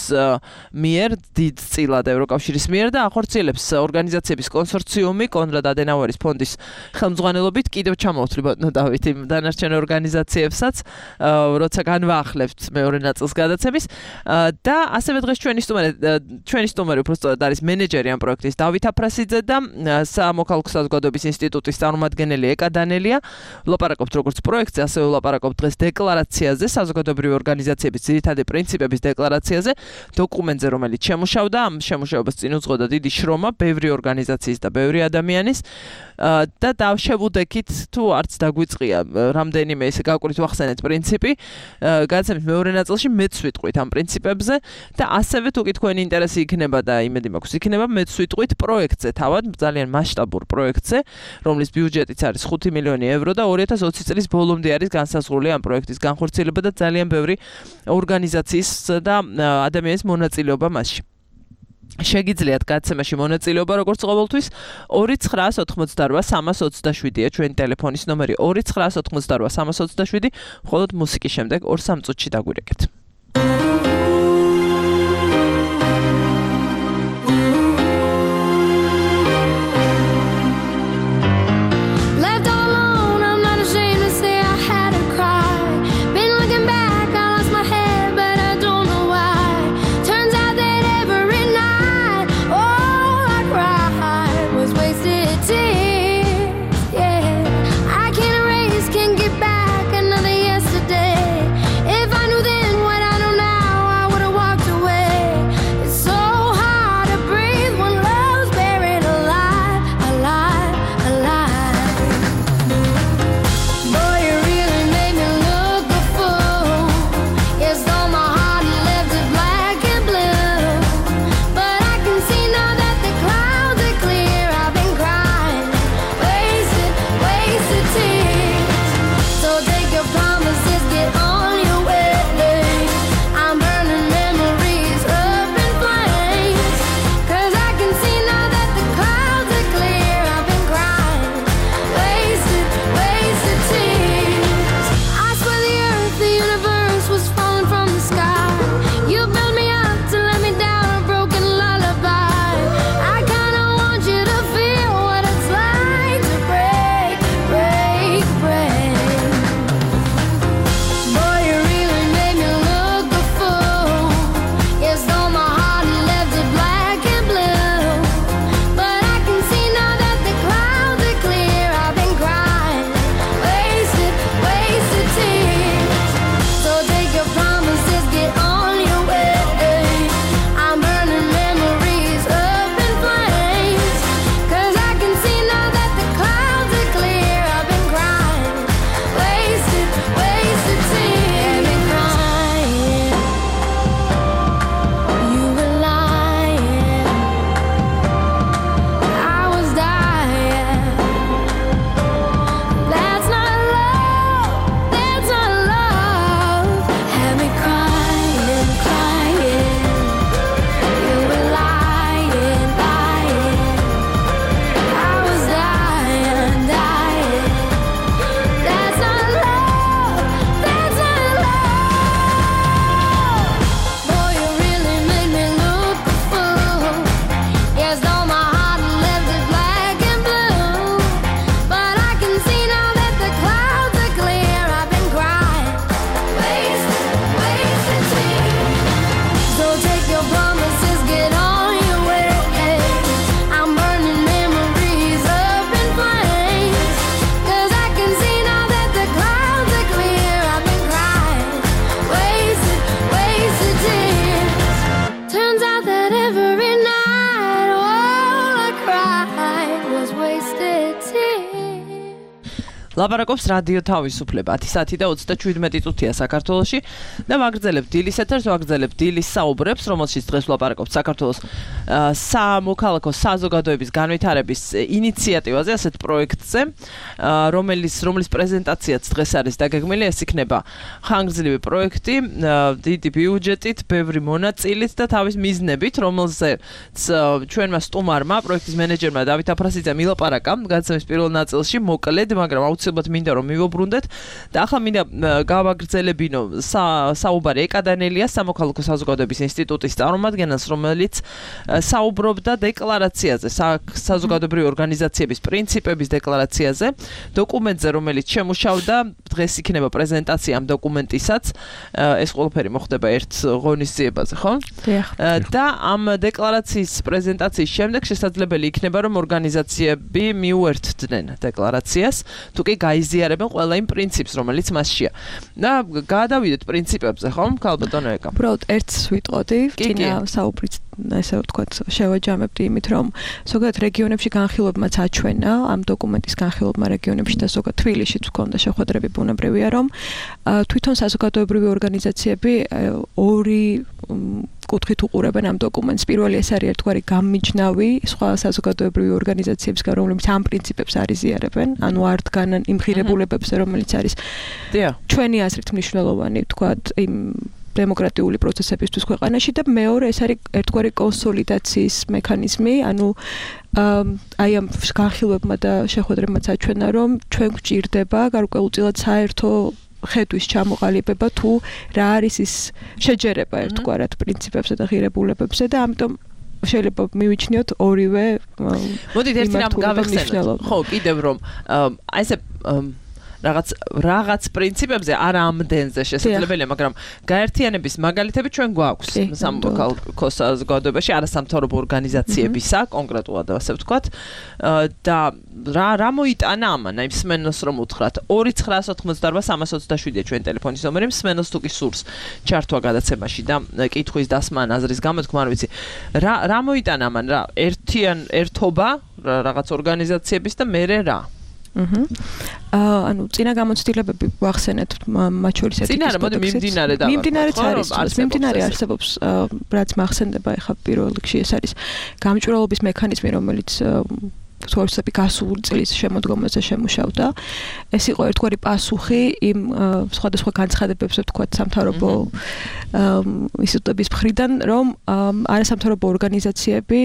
მიერ, დიდ წილად ევროკავშირის მიერ და ახორციელებს ორგანიზაციების კონსორციუმი კონრად ადენაუერის ფონდის ხელმძღვანელობით. კიდევ ჩამოვთვლი ბატონო დავით იმ დანარჩენ ორგანიზაციებსაც, როცა განვაახლებთ მეორე ნაწილს გადაცემის და ასევე დღეს ჩვენი სტუმარი ჩვენი სტუმარი უბრალოდ არის მენეჯერი ამ პროექტის დავით აფრასიძე და სამოქალაქო საზოგადოების ინსტიტუტის წარმომადგენელი ეკა დანელია. ვლაპარაკობთ როგორც პროექტზე, ასევე ვლაპარაკობთ დღეს დეკლარაციაზე, საზოგადოებრივი ორგანიზაციების ძირითადი პრინციპების დეკლარაციაზე, დოკუმენტზე, რომელიც შემუშავდა, ამ შემუშავებას წინ უძღოდა დიდი შრომა ბევრი ორგანიზაციის და ბევრი ადამიანის და დავშევუდექით თუ არც დაგვიწყია რამდენიმე ესე გაკვირით ვახსენეთ პრინციპი. გადაცემის მეორე ნაწილში მეც ვიტყვით ამ პრინციპებზე და ასევე თუ კი თქვენი ინტერესი იქნება და იმედი მაქვს იქნება, მეც ვიტყვით პროექტზე, თავად ძალიან მასშტაბურ პროექტზე, რომლის ბიუჯეტიც არის ხუთი მილიონი ევრო და ორი ათას ოცი წლის ბოლომდე არის განსაზღვრული ამ პროექტის განხორციელება და ძალიან ბევრი ორგანიზაციის და ადამიანის მონაწილეობა მასში. შეგიძლიათ გაცემაში მონაწილეობა როგორც ყოველთვის ორი ცხრაას ოთხმოცდარვა სამას ოცდაშვიდია ჩვენი ტელეფონის ნომერი ორი ცხრაას ოთხმოცდარვა სამას ოცდაშვიდი მხოლოდ მუსიკის შემდეგ ორ სამ წუთში დაგვირეკეთ. ლაპარაკობს რადიო თავისუფლება ათი საათი და ოცდაშვიდმეტი წუთია საქართველოში და ვაგრძელებთ დილის ეთერს, ვაგრძელებთ დილის საუბრებს, რომელშიც დღეს ლაპარაკობთ საქართველოს სამოქალაქო საზოგადოების განვითარების ინიციატივაზე, ასეთ პროექტზე, რომელიც რომლის პრეზენტაციაც დღეს არის დაგეგმილი, ეს იქნება ხანგრძლივი პროექტი, დიდი ბიუჯეტით, ბევრი მონაწილით და თავის მიზნებით, რომელზეც ჩვენმა სტუმარმა, პროექტის მენეჯერმა დავით აფრასიძემ ილაპარაკა გადაცემის პირველ ნაწილში, მოკლედ, მაგრამ აუცილებლად მინდა რომ მივუბრუნდეთ და ახლა მინდა გავაგრძელებინო საუბარი ეკადანელიას სამოქალაქო საზოგადოების ინსტიტუტის წარმომადგენელს, რომელიც საუბრობდა დეკლარაციაზე, საზოგადოებრივი ორგანიზაციების პრინციპების დეკლარაციაზე, დოკუმენტზე, რომელიც შემუშავდა, დღეს იქნება პრეზენტაცია ამ დოკუმენტისაც, ეს ყველაფერი მოხდება ერთ ღონისძიებაზე, ხო? და ამ დეკლარაციის პრეზენტაციის შემდეგ შესაძლებელი იქნება, რომ ორგანიზაციები მიუერთდნენ დეკლარაციას, თუ კი გაიზიარებენ ყველა იმ პრინციპს, რომელიც მასშია. და გადავიდეთ პრინციპებზე, ხო? ქალბატონო ეკა. უბრალოდ ერთს ვიტყოდი, წინა საუბრით ესე ვთქვათ, შევაჯამებდი იმით, რომ ზოგადად რეგიონებში განხილვებმაც აჩვენა, ამ დოკუმენტის განხილვებმა რეგიონებში და ზოგადად თბილისშიც ჰქონდა შეხვედრები, ბუნებრივია, რომ თვითონ საზოგადოებრივი ორგანიზაციები ორი კუთხით უყურებენ ამ დოკუმენტს. პირველი ეს არის ერთგვარი გამიჯნავი სხვა საზოგადოებრივი ორგანიზაციებისგან, რომლებიც ამ პრინციპებს არიზიარებენ, ანუ არ დგანან იმ ღირებულებებზე, რომელიც არის ჩვენი აზრით მნიშვნელოვანი, ვთქვათ, იმ დემოკრატიული პროცესებისთვის ქვეყანაში და მეორე ეს არის ერთგვარი კონსოლიდაციის მექანიზმი, ანუ აი ამ განხილვებმა და შეხვედრებმაც აჩვენა, რომ ჩვენ გვჭირდება გარკვეულწილად საერთო ხედვის ჩამოყალიბება თუ რა არის ის შეჯერება ერთგვარად პრინციპებზე და ღირებულებებზე და ამიტომ შეიძლება მივიჩნიოთ ორივე მოდით ერთი რამ გავეხსენოთ. ხო, კიდევ რომ აი ესე რაღაც რაღაც პრინციპებზე არ ამდენზე შესაძლებელია, მაგრამ გაერთიანების მაგალითები ჩვენ გვაქვს სამოქალაქო საზოგადოებაში, არასამთავრობო ორგანიზაციებისა, კონკრეტულად ასე ვთქვათ, და რა რა მოიტანა ამან, აი მსმენელს რომ უთხრათ ორი ცხრაას ოთხმოცდაარბა სამას ოცდაშვიდია ჩვენ ტელეფონის ნომერი, მსმენელს თუ კი სურს ჩართვა გადაცემაში და კითხვის დასმა აზრის გამოთქმა არ ვიცი. რა რა მოიტანა ამან, რა ერთიან ერთობა რაღაც ორგანიზაციების და მერე რა აჰა. ანუ წინა გამოცდილებები ვახსენეთ მათ შორის ერთი წინა რა მოდი მიმდინარე და მიმდინარეც არის მიმდინარე არსებობს რაც მახსენდება ეხა პირველ რიგში ეს არის გამჭვირვალობის მექანიზმი რომელიც თორსები გასული წლის შემოდგომაზე შემუშავდა. ეს იყო ერთგვარი პასუხი იმ სხვადასხვა განცხადებებზე ვთქვათ სამთავრობო ინსტიტუტების მხრიდან, რომ არასამთავრობო ორგანიზაციები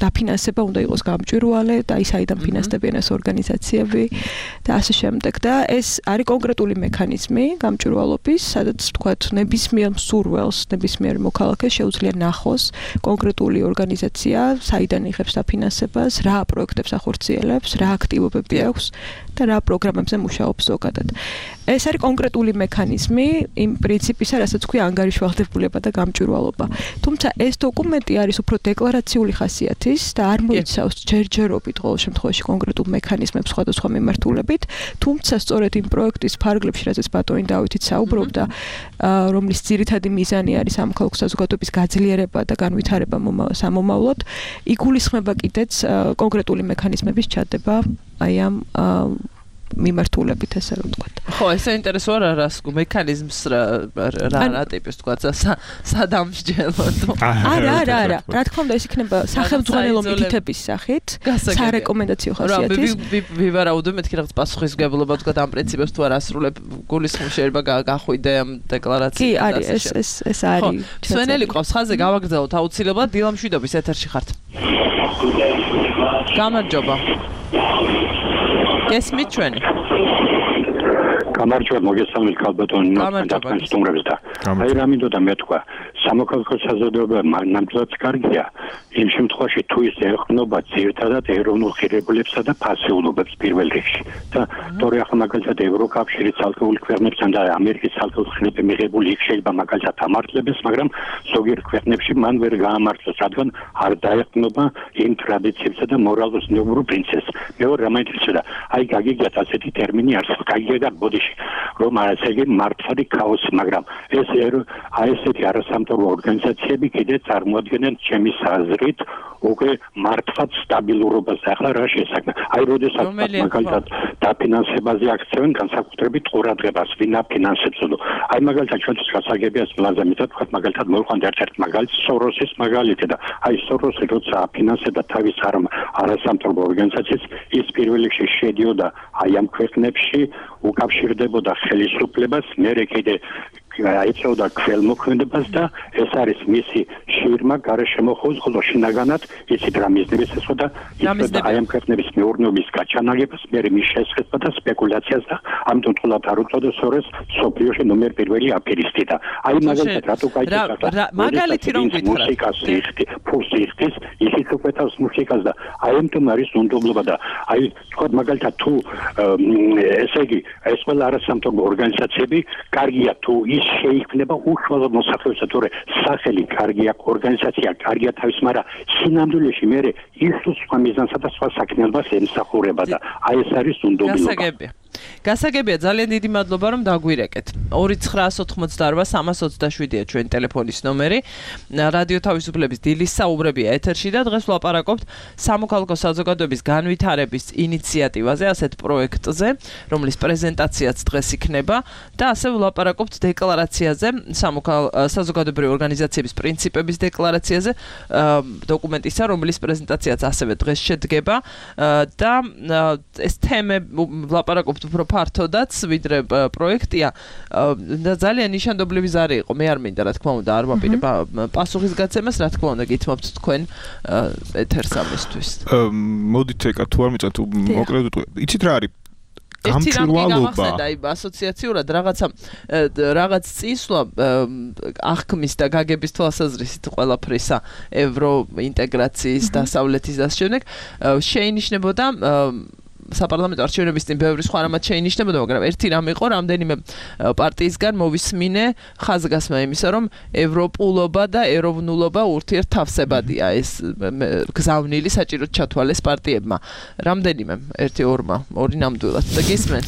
დაფინანსება უნდა იყოს გამჭვირვალე და ის აიდან ფინანსდებიან ეს ორგანიზაციები და ასე შემდეგ და ეს არის კონკრეტული მექანიზმი გამჭვირვალობის, სადაც ვთქვათ ნებისმიერ მსურველს, ნებისმიერ მოქალაქეს შეუძლია ნახოს კონკრეტული ორგანიზაცია, საიდან იღებს დაფინანსებას, რა პროექტებს ახორციელებს, რა აქტივობები აქვს და რა პროგრამებზე მუშაობს ზოგადად. ეს არის კონკრეტული მექანიზმი იმ პრინციპისა, რასაც ქვია ანგარიშვალდებულება და გამჭვირვალობა. თუმცა ეს დოკუმენტი არის უფრო დეკლარაციული ხასიათის და არ მოიცავს ჯერჯერობით ყოველ შემთხვევაში კონკრეტულ მექანიზმებს სხვადასხვა მიმართულებით, თუმცა სწორედ იმ პროექტის ფარგლებში, რაზეც ბატონი დავითით საუბრობდა, რომლის ძირითადი მიზანი არის სამოქალაქო საზოგადოების გაძლიერება და განვითარება სამომავლოდ, იგულისხმება კიდეც კონკრეტული მექანიზმების ჩადება აი ამ მიმართულებით ესე რომ ვთქვათ. ხო, ეს საინტერესოა რა რას მექანიზმს რა რა ტიპის ვთქვათ სადამსჯელო. არა, არა, არა. რა თქმა უნდა ეს იქნება სახელმძღვანელო მითითების სახით, სარეკომენდაციო ხასიათის. ვივარაუდო მეთქი რაღაც პასუხისმგებლობა ვთქვათ ამ პრინციპებს თუ არ ასრულებ გულისხმობ შეიძლება გახვიდე ამ დეკლარაციას. კი, არის ეს ეს ეს არის. სვენელი ყავს ხაზზე გავაგრძელოთ აუცილებლად დილამშვიდობის ეთერში ხართ. გამარჯობა. გესმით ჩვენი? გამარჯობა, მოგესალმებით ქალბატონი, ნაცნობ სტუმრებს და აი რა მინდოდა მეთქვა, სამოქალაქო საზოგადოება ნამდვილად კარგია, იმ შემთხვევაში თუ ის ეყრდნობა ძირითადად ეროვნულ ღირებულებსა და ფასეულობებს პირველ რიგში. და თორე ახლა მაგალითად ევროკავშირის ცალკეული ქვეყნებთან და ამერიკის ცალკეულ ხილები მიღებული იქ შეიძლება მაგალითად ამართლებს, მაგრამ ზოგიერთ ქვეყნებში მან ვერ გაამართლოს, რადგან არ დაეყრდნობა იმ ტრადიციებსა და მორალურ-ნორმურ პრინციპებს. მეორე რა მაინტერესებდა, აი გაგიგიათ ასეთი ტერმინი არსებობს, გაგიგიათ ბოდიში, რომ ასე იგი მართალი ქაოსი, მაგრამ ეს აი ესეთი არასამთავრობო ორგანიზაციები კიდე წარმოადგენენ ჩემის აზრით უკვე მართლაც სტაბილურობას. ახლა რა შესაძლოა? აი როდესაც მაგალითად დაფინანსებაზე აქცევენ განსაკუთრებით ყურადღებას, ვინ აფინანსებს. აი მაგალითად ჩვენთვის გასაგებია მლაზა მითხრათ, ვთქვათ მაგალითად მოვიყვანთ ერთ-ერთ მაგალითს, სოროსის მაგალითი და აი სოროსი როცა აფინანსებდა თავის არასამთავრობო ორგანიზაციას, ის პირველ რიგში შედიოდა აი ამ ქვეყნებში, უკავშირდებოდა ხელისუფლებას, მერე კიდე აიწევდა ქველმოქმედებას და ეს არის მისი შირმა გარშემოხოს, ხოლო შინაგანად იცით რა მიზნებს ესვოდა, იცოდა აი ამ ქვეყნების მეურნეობის გაჩანაგებას, მერე მის შესყიდვა და სპეკულაციას და ამიტომ თულად არ უწოდა სოროს სოფლიოში ნომერ პირველი აფერისტი და აი მაგალითად რატო გაიწევდა მაგალითი რომ გითხრათ მუსიკას იხდი, ფულს იხდის, ისიც უყვეთავს მუსიკას და აი ამიტომ არის უნდობლობა და აი თქვა მაგალითად თუ ესე იგი ეს ყველა არასამთავრობო ორგანიზაციები კარგია თუ ის შეიქმნება უშუალოდ მოსახლეობისა, თორე სახელი კარგია, ორგანიზაცია კარგია თავის, მაგრამ სინამდვილეში მე ის სხვა მიზანსა და სხვა საქმიანობას ემსახურება და აი ეს არის უნდობლობა. გასაგებია. გასაგებია, ძალიან დიდი მადლობა რომ დაგვირეკეთ. ორი ცხრაას ოცდაარბა სამას ოცდაშვიდია ჩვენი ტელეფონის ნომერი. რადიო თავისუფლების დილის საუბრებია ეთერში და დღეს ვლაპარაკობთ სამოქალაქო საზოგადოების განვითარების ინიციატივაზე, ასეთ პროექტზე, რომლის პრეზენტაციაც დღეს იქნება და ასე ვლაპარაკობთ დეკლარაციაზე, საზოგადოებრივი ორგანიზაციების პრინციპების დეკლარაციაზე, დოკუმენტისა, რომლის პრეზენტაციაც ასევე დღეს შედგება და ეს თემები ვლაპარაკობთ ვფიქრობთ უფრო ფართოდაც ვიდრე პროექტია და ძალიან ნიშანდობლივი ზარი იყო მე არ მინდა რა თქმა უნდა არ ვაპირებ პასუხისგაცემას რა თქმა უნდა გითმობთ თქვენ ეთერს ამისთვის მოდით ეკა თუ არ მიწათ მოკლედ იცით რა არის გამჭვირვალობა აი ასოციაციურად რაღაცა რაღაც წისვლა აღქმის და გაგების თვალსაზრისით ყველაფრისა ევრო ინტეგრაციის დასავლეთის და შემდეგ შეინიშნებოდა საპარლამენტო არჩევნების წინ ბევრი სხვა რამაც შეინიშნებოდა, მაგრამ ერთი რამ იყო, რამდენიმე პარტიისგან მოვისმინე ხაზგასმა იმისა, რომ ევროპულობა და ეროვნულობა ურთიერთთავსებადია ეს გზავნილი საჭიროდ ჩათვალეს პარტიებმა. რამდენიმე, ერთი ორმა, ორი ნამდვილად და გისმენ.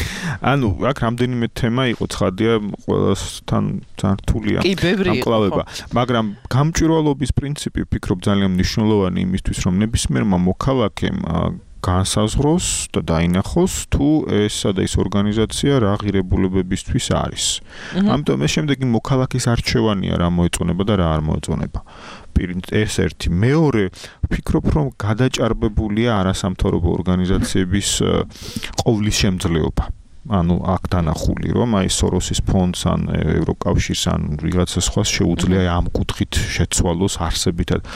ანუ აქ რამდენიმე თემა იყო, ცხადია, ყველასთან ძართულია ამკლავება, მაგრამ გამჭვირვალობის პრინციპი ვფიქრობ ძალიან მნიშვნელოვანი იმისთვის, რომ ნებისმიერმა მოქალაქემ განსაზღვროს და დაინახოს თუ ესა და ის ორგანიზაცია რა ღირებულებებისთვის არის. ამიტომ ეს შემდეგი მოქალაქის არჩევანია რა მოეწონება და რა არ მოეწონება. ეს ერთი. მეორე, ვფიქრობ რომ გადაჭარბებულია არასამთავრობო ორგანიზაციების ყოვლის შემძლეობა. ანუ აქ დანახული რომ აი სოროსის ფონდს ან ევროკავშირს ან ვიღაცა სხვას შეუძლია ამ კუთხით შეცვალოს არსებითად.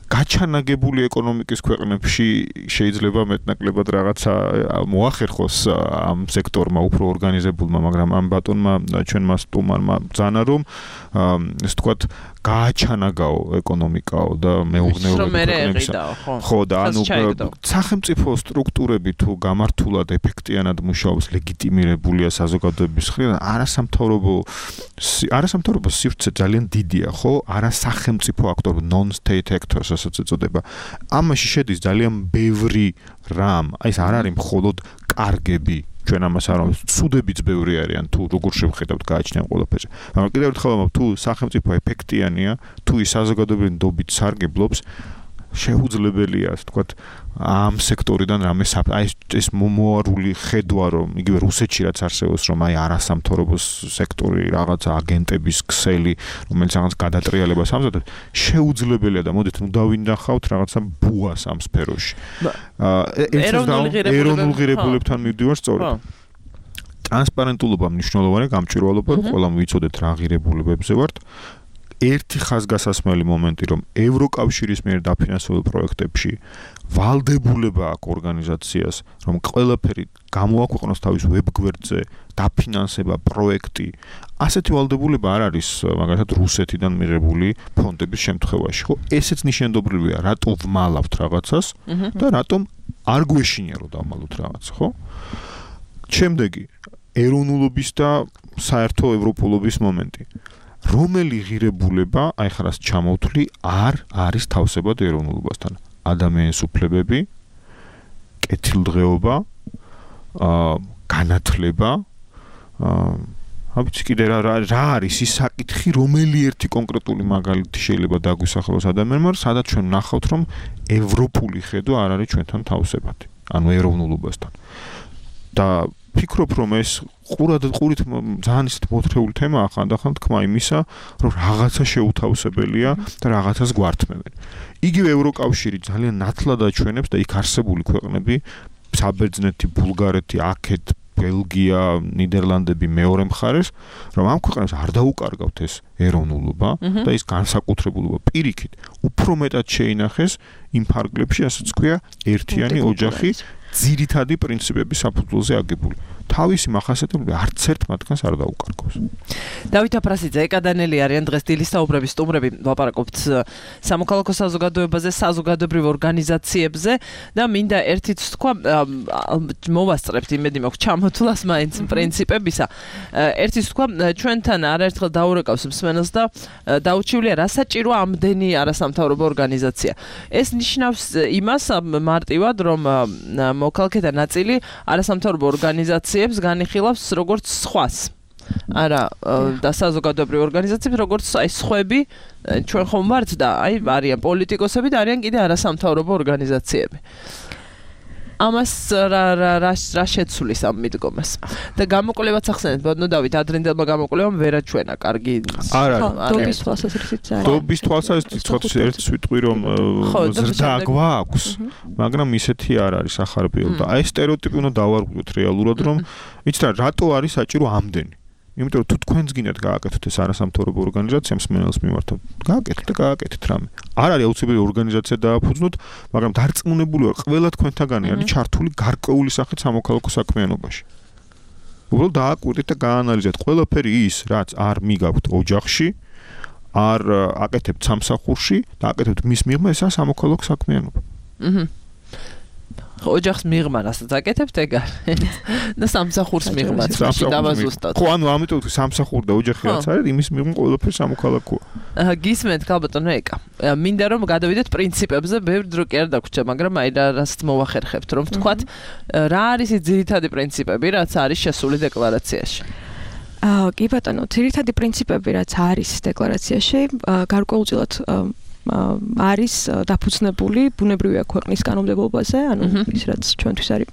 გაჩანაგებული ეკონომიკის ქვეყნებში შეიძლება მეტნაკლებად რაღაცა მოახერხოს ამ სექტორმა უფრო ორგანიზებულმა, მაგრამ ამ ბატონმა ჩვენმა სტუმარმა ბრძანა რომ ეს თქვათ გააჩანაგაო ეკონომიკაო და მეუღნეობის ხო და ანუ სახელმწიფო სტრუქტურები თუ გამართულად ეფექტიანად მუშაობს ლეგიტიმირებულია საზოგადოების მხრიდან არასამთავრობო არასამთავრობო სივრცე ძალიან დიდია ხო არასახელმწიფო აქტორ non-state actors ასაც ეწოდება ამაში შედის ძალიან ბევრი რამ აი ეს არ არის მხოლოდ კარგები ჩვენ ამას არ ვამბობთ, ცუდებიც ბევრი არიან თუ როგორ შევხედავთ გააჩნია ყველაფერზე. მაგრამ კიდევ ერთხელ ვამბობ, თუ სახელმწიფო ეფექტიანია, თუ ის საზოგადოებრივი ნდობით სარგებლობს, შეუძლებელია, ასე ვთქვათ, ამ სექტორიდან რამე აი ეს მომოარული ხედვა რომ იგივე რუსეთში რაც არსებობს რომ აი არასამთავრობო სექტორი რაღაცა აგენტების ქსელი რომელიც რაღაც გადატრიალებას ამზადებს შეუძლებელია და მოდით ნუ დავინახავთ რაღაცა ბუას ამ სფეროში ეროვნულ ღირებულებებთან მივდივარ სწორედ ტრანსპარენტულობა მნიშვნელოვანია გამჭვირვალობა რომ ყველამ ვიცოდეთ რა ღირებულებებზე ვართ ერთი ხაზგასასმელი მომენტი რომ ევროკავშირის მიერ დაფინანსებულ პროექტებში ვალდებულება აქვს ორგანიზაციას რომ ყველაფერი გამოაქვეყნოს თავის ვებგვერდზე დაფინანსება პროექტი ასეთი ვალდებულება არ არის მაგალითად რუსეთიდან მიღებული ფონდების შემთხვევაში ხო ესეც ნიშანდობრივია რატო ვმალავთ რაღაცას და რატომ არ გვეშინია რომ დავმალოთ რაღაცა ხო შემდეგი ეროვნულობის და საერთო ევროპულობის მომენტი რომელი ღირებულება, აი ხარას ჩამოვთვლი, არ არის თავსებად ეროვნულობასთან. ადამიანის უფლებები, კეთილდღეობა, აა განათლება, აა ვიცი კიდე რა რა არის ის საკითხი, რომელი ერთი კონკრეტული მაგალითი შეიძლება დაგვისახელოს ადამიანმა, სადაც ჩვენ ნახავთ, რომ ევროპული ხედვა არ არის ჩვენთან თავსებადი, ანუ ეროვნულობასთან. და ფიქრობ რომ ეს ყურად ყურით ძალიან ისეთ მოთხრეული თემაა ხანდახან თქმა იმისა რომ რაღაცა შეუთავსებელია და რაღაცას გვართმევენ. იგივე ევროკავშირი ძალიან ნათლად აჩვენებს და იქ არსებული ქვეყნები საბერძნეთი, ბულგარეთი, აქეთ, ბელგია, ნიდერლანდები მეორე მხარეს რომ ამ ქვეყნებს არ დაუკარგავთ ეს ეროვნულობა და ის განსაკუთრებულობა პირიქით უფრო მეტად შეინახეს იმ ფარგლებში ასაც ქვია ერთიანი ოჯახი ძირითადი პრინციპების საფუძველზე აგებული. თავისი მახასიათებლები არც ერთ მათგანს არ დაუკარგავს. დავით აფრასიძე, ეკადანელი არიან დღეს დილის საუბრების სტუმრები, ვაპარაკობთ სამოქალაქო საზოგადოებაზე, საზოგადოებრივ ორგანიზაციებზე და მინდა ერთიც თქვა, მოვასწრებთ იმედი მაქვს ჩამოთვლას მაინც პრინციპებისა. ერთიც თქვა, ჩვენთან არაერთხელ დაურეკავს მსმენელს და დაუჩივლია რა საჭიროა ამდენი არასამთავრობო ორგანიზაცია. ეს ნიშნავს იმას მარტივად, რომ მოქალაქეთა ნაწილი არასამთავრობო ორგანიზაციებს განიხილავს როგორც სხვას. არა, და საზოგადოებრივ ორგანიზაციებს როგორც აი სხვები ჩვენ ხომ ვართ და აი არიან პოლიტიკოსები და არიან კიდე არასამთავრობო ორგანიზაციები. ამას რა რა რა შეცვლის ამ მიდგომას და გამოკვლევაც ახსენეთ ბოდნო დავით ადრინდელმა გამოკვლევამ ვერაჩვენა კარგი არა დობის თვალსაზრისით არის დობის თვალსაზრისით ცოტა ერთ სვიტყვი რომ ზრდა გვაქვს მაგრამ ისეთი არ არის ახარბიელ და აი სტერეოტიპი უნდა დავარღვიოთ რეალურად რომ იცით რატო არის საჭირო ამდენი იმიტომ რომ თუ თქვენს გინდათ გააკეთოთ ეს არასამთავრობო ორგანიზაციამ სმენელს მიმართავ გააკეთეთ და გააკეთეთ რამე არ არის აუცილებელი ორგანიზაცია დააფუძნოთ მაგრამ დარწმუნებული ვარ ყველა თქვენთაგანი არის ჩართული გარკვეული სახით სამოქალაქო საქმიანობაში უბრალოდ დააკვირდით და გაანალიზეთ ყველაფერი ის რაც არ მიგაქვთ ოჯახში არ აკეთებთ სამსახურში და აკეთებთ მის მიღმა ესაა სამოქალაქო საქმიანობა აჰა ოჯახს მიღმა რასაც აკეთებთ ეგ არის და სამსახურს მიღმაც დავაზუსტოთ ხო ანუ ამიტომ თუ სამსახური და ოჯახი რაც არის იმის მიღმა ყველაფერი სამოქალაქოა აჰა გისმენთ ქალბატონო ეკა მინდა რომ გადავიდეთ პრინციპებზე ბევრ დრო კი არ დაგვრჩა მაგრამ აი რასაც მოვახერხებთ რომ ვთქვათ რა არის ის ძირითადი პრინციპები რაც არის შესული დეკლარაციაში აა კი ბატონო ძირითადი პრინციპები რაც არის დეკლარაციაში გარკვეულწილად არის დაფუძნებული ბუნებრივია ქვეყნის კანონმდებლობაზე, ანუ ის რაც ჩვენთვის არის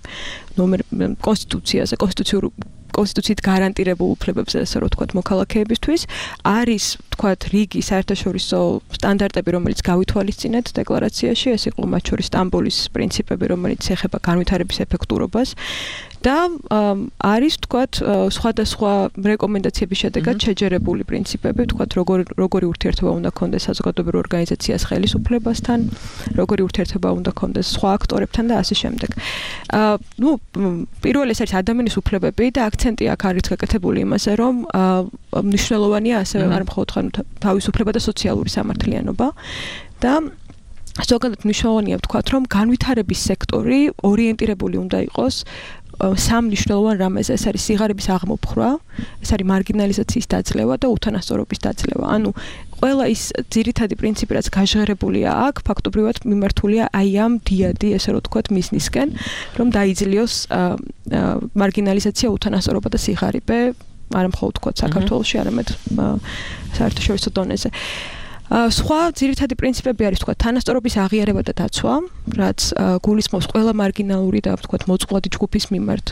ნომერ კონსტიტუციაზე, კონსტიტუციურ კონსტიტუციით გარანტირებულ უფლებებზე, ასე რომ ვთქვათ, მოქალაქეებისთვის, არის, ვთქვათ, რიგი საერთაშორისო სტანდარტები, რომელიც გავითვალისწინეთ დეკლარაციაში, ეს იყო მათ შორის სტამბოლის პრინციპები, რომელიც ეხება განვითარების ეფექტურობას და არის, ვთქვათ, სხვადასხვა რეკომენდაციების შედეგად შეჯერებული პრინციპები, ვთქვათ, როგორი როგორი ურთიერთობა უნდა ჰქონდეს საზოგადოებრივ ორგანიზაციას ხელისუფლებასთან, როგორი ურთიერთობა უნდა ჰქონდეს სხვა აქტორებთან და ასე შემდეგ. აა, ნუ, პირველი ეს არის ადამიანის უფლებები და აქცენტი აქ არის გაკეთებული იმაზე, რომ მნიშვნელოვანია ასევე არ მხოლოდ თავისუფლება და სოციალური სამართლიანობა და ზოგადად მნიშვნელოვანია ვთქვათ, რომ განვითარების სექტორი ორიენტირებული უნდა იყოს სამ მნიშვნელოვან რამეზე, ეს არის სიღარიბის აღმოფხვრა, ეს არის მარგინალიზაციის დაძლევა და უთანასწორობის დაძლევა. ანუ ყველა ის ძირითადი პრინციპი, რაც გაჟღერებულია აქ, ფაქტობრივად მიმართულია აი ამ დიადი, ესე რომ ვთქვათ, მიზნისკენ, რომ დაიძლიოს მარგინალიზაცია, უთანასწორობა და სიღარიბე, არა მხოლოდ ვთქვათ საქართველოში, არამედ საერთაშორისო დონეზე. სხვა ძირითადი პრინციპები არის ვთქვათ თანასწორობის აღიარება და დაცვა, რაც გულისხმობს ყველა მარგინალური და ვთქვათ მოწყვლადი ჯგუფის მიმართ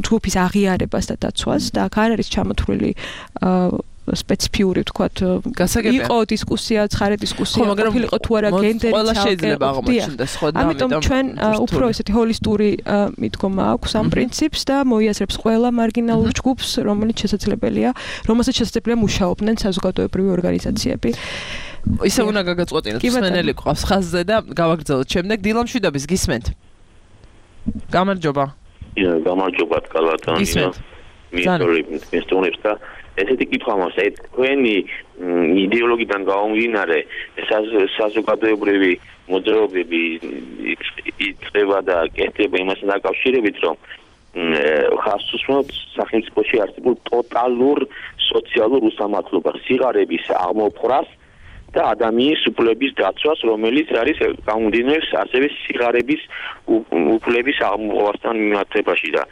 ჯგუფის აღიარებას და დაცვას და აქ არ არის ჩამოთვლილი სპეციფიური ვთქვათ იყო დისკუსია, ცხარე დისკუსია, ყოფილიყო თუ არა გენდერი ყველა შეიძლება აღმოჩნდეს ხო და ამიტომ ჩვენ უფრო ესეთი ჰოლისტური მიდგომა აქვს ამ პრინციპს და მოიაზრებს ყველა მარგინალურ ჯგუფს, რომელიც შესაძლებელია, რომელსაც შესაძლებელია მუშაობდნენ საზოგადოებრივი ორგანიზაციები. ისე უნდა გაგაწყვეტინოთ მსმენელი ყავს ხაზზე და გავაგრძელოთ შემდეგ დილამშვიდობის გისმენთ. გამარჯობა. გამარჯობა კალათანია. მისორი მისტონებს და ესეთი კითხვა მაქვს, აი თქვენი იდეოლოგიიდან გამომდინარე საზოგადოებრივი მოძრაობები იწყება და კეთდება იმასთან დაკავშირებით, რომ ხაზს უსმენთ სახელმწიფოში არსებულ ტოტალურ სოციალურ უსამართლობას, სიღარიბის აღმოფხვრას და ადამიანის უფლების დაცვას, რომელიც არის გამომდინარე ასევე სიღარიბის უფლების აღმოფხვასთან მიმართებაში და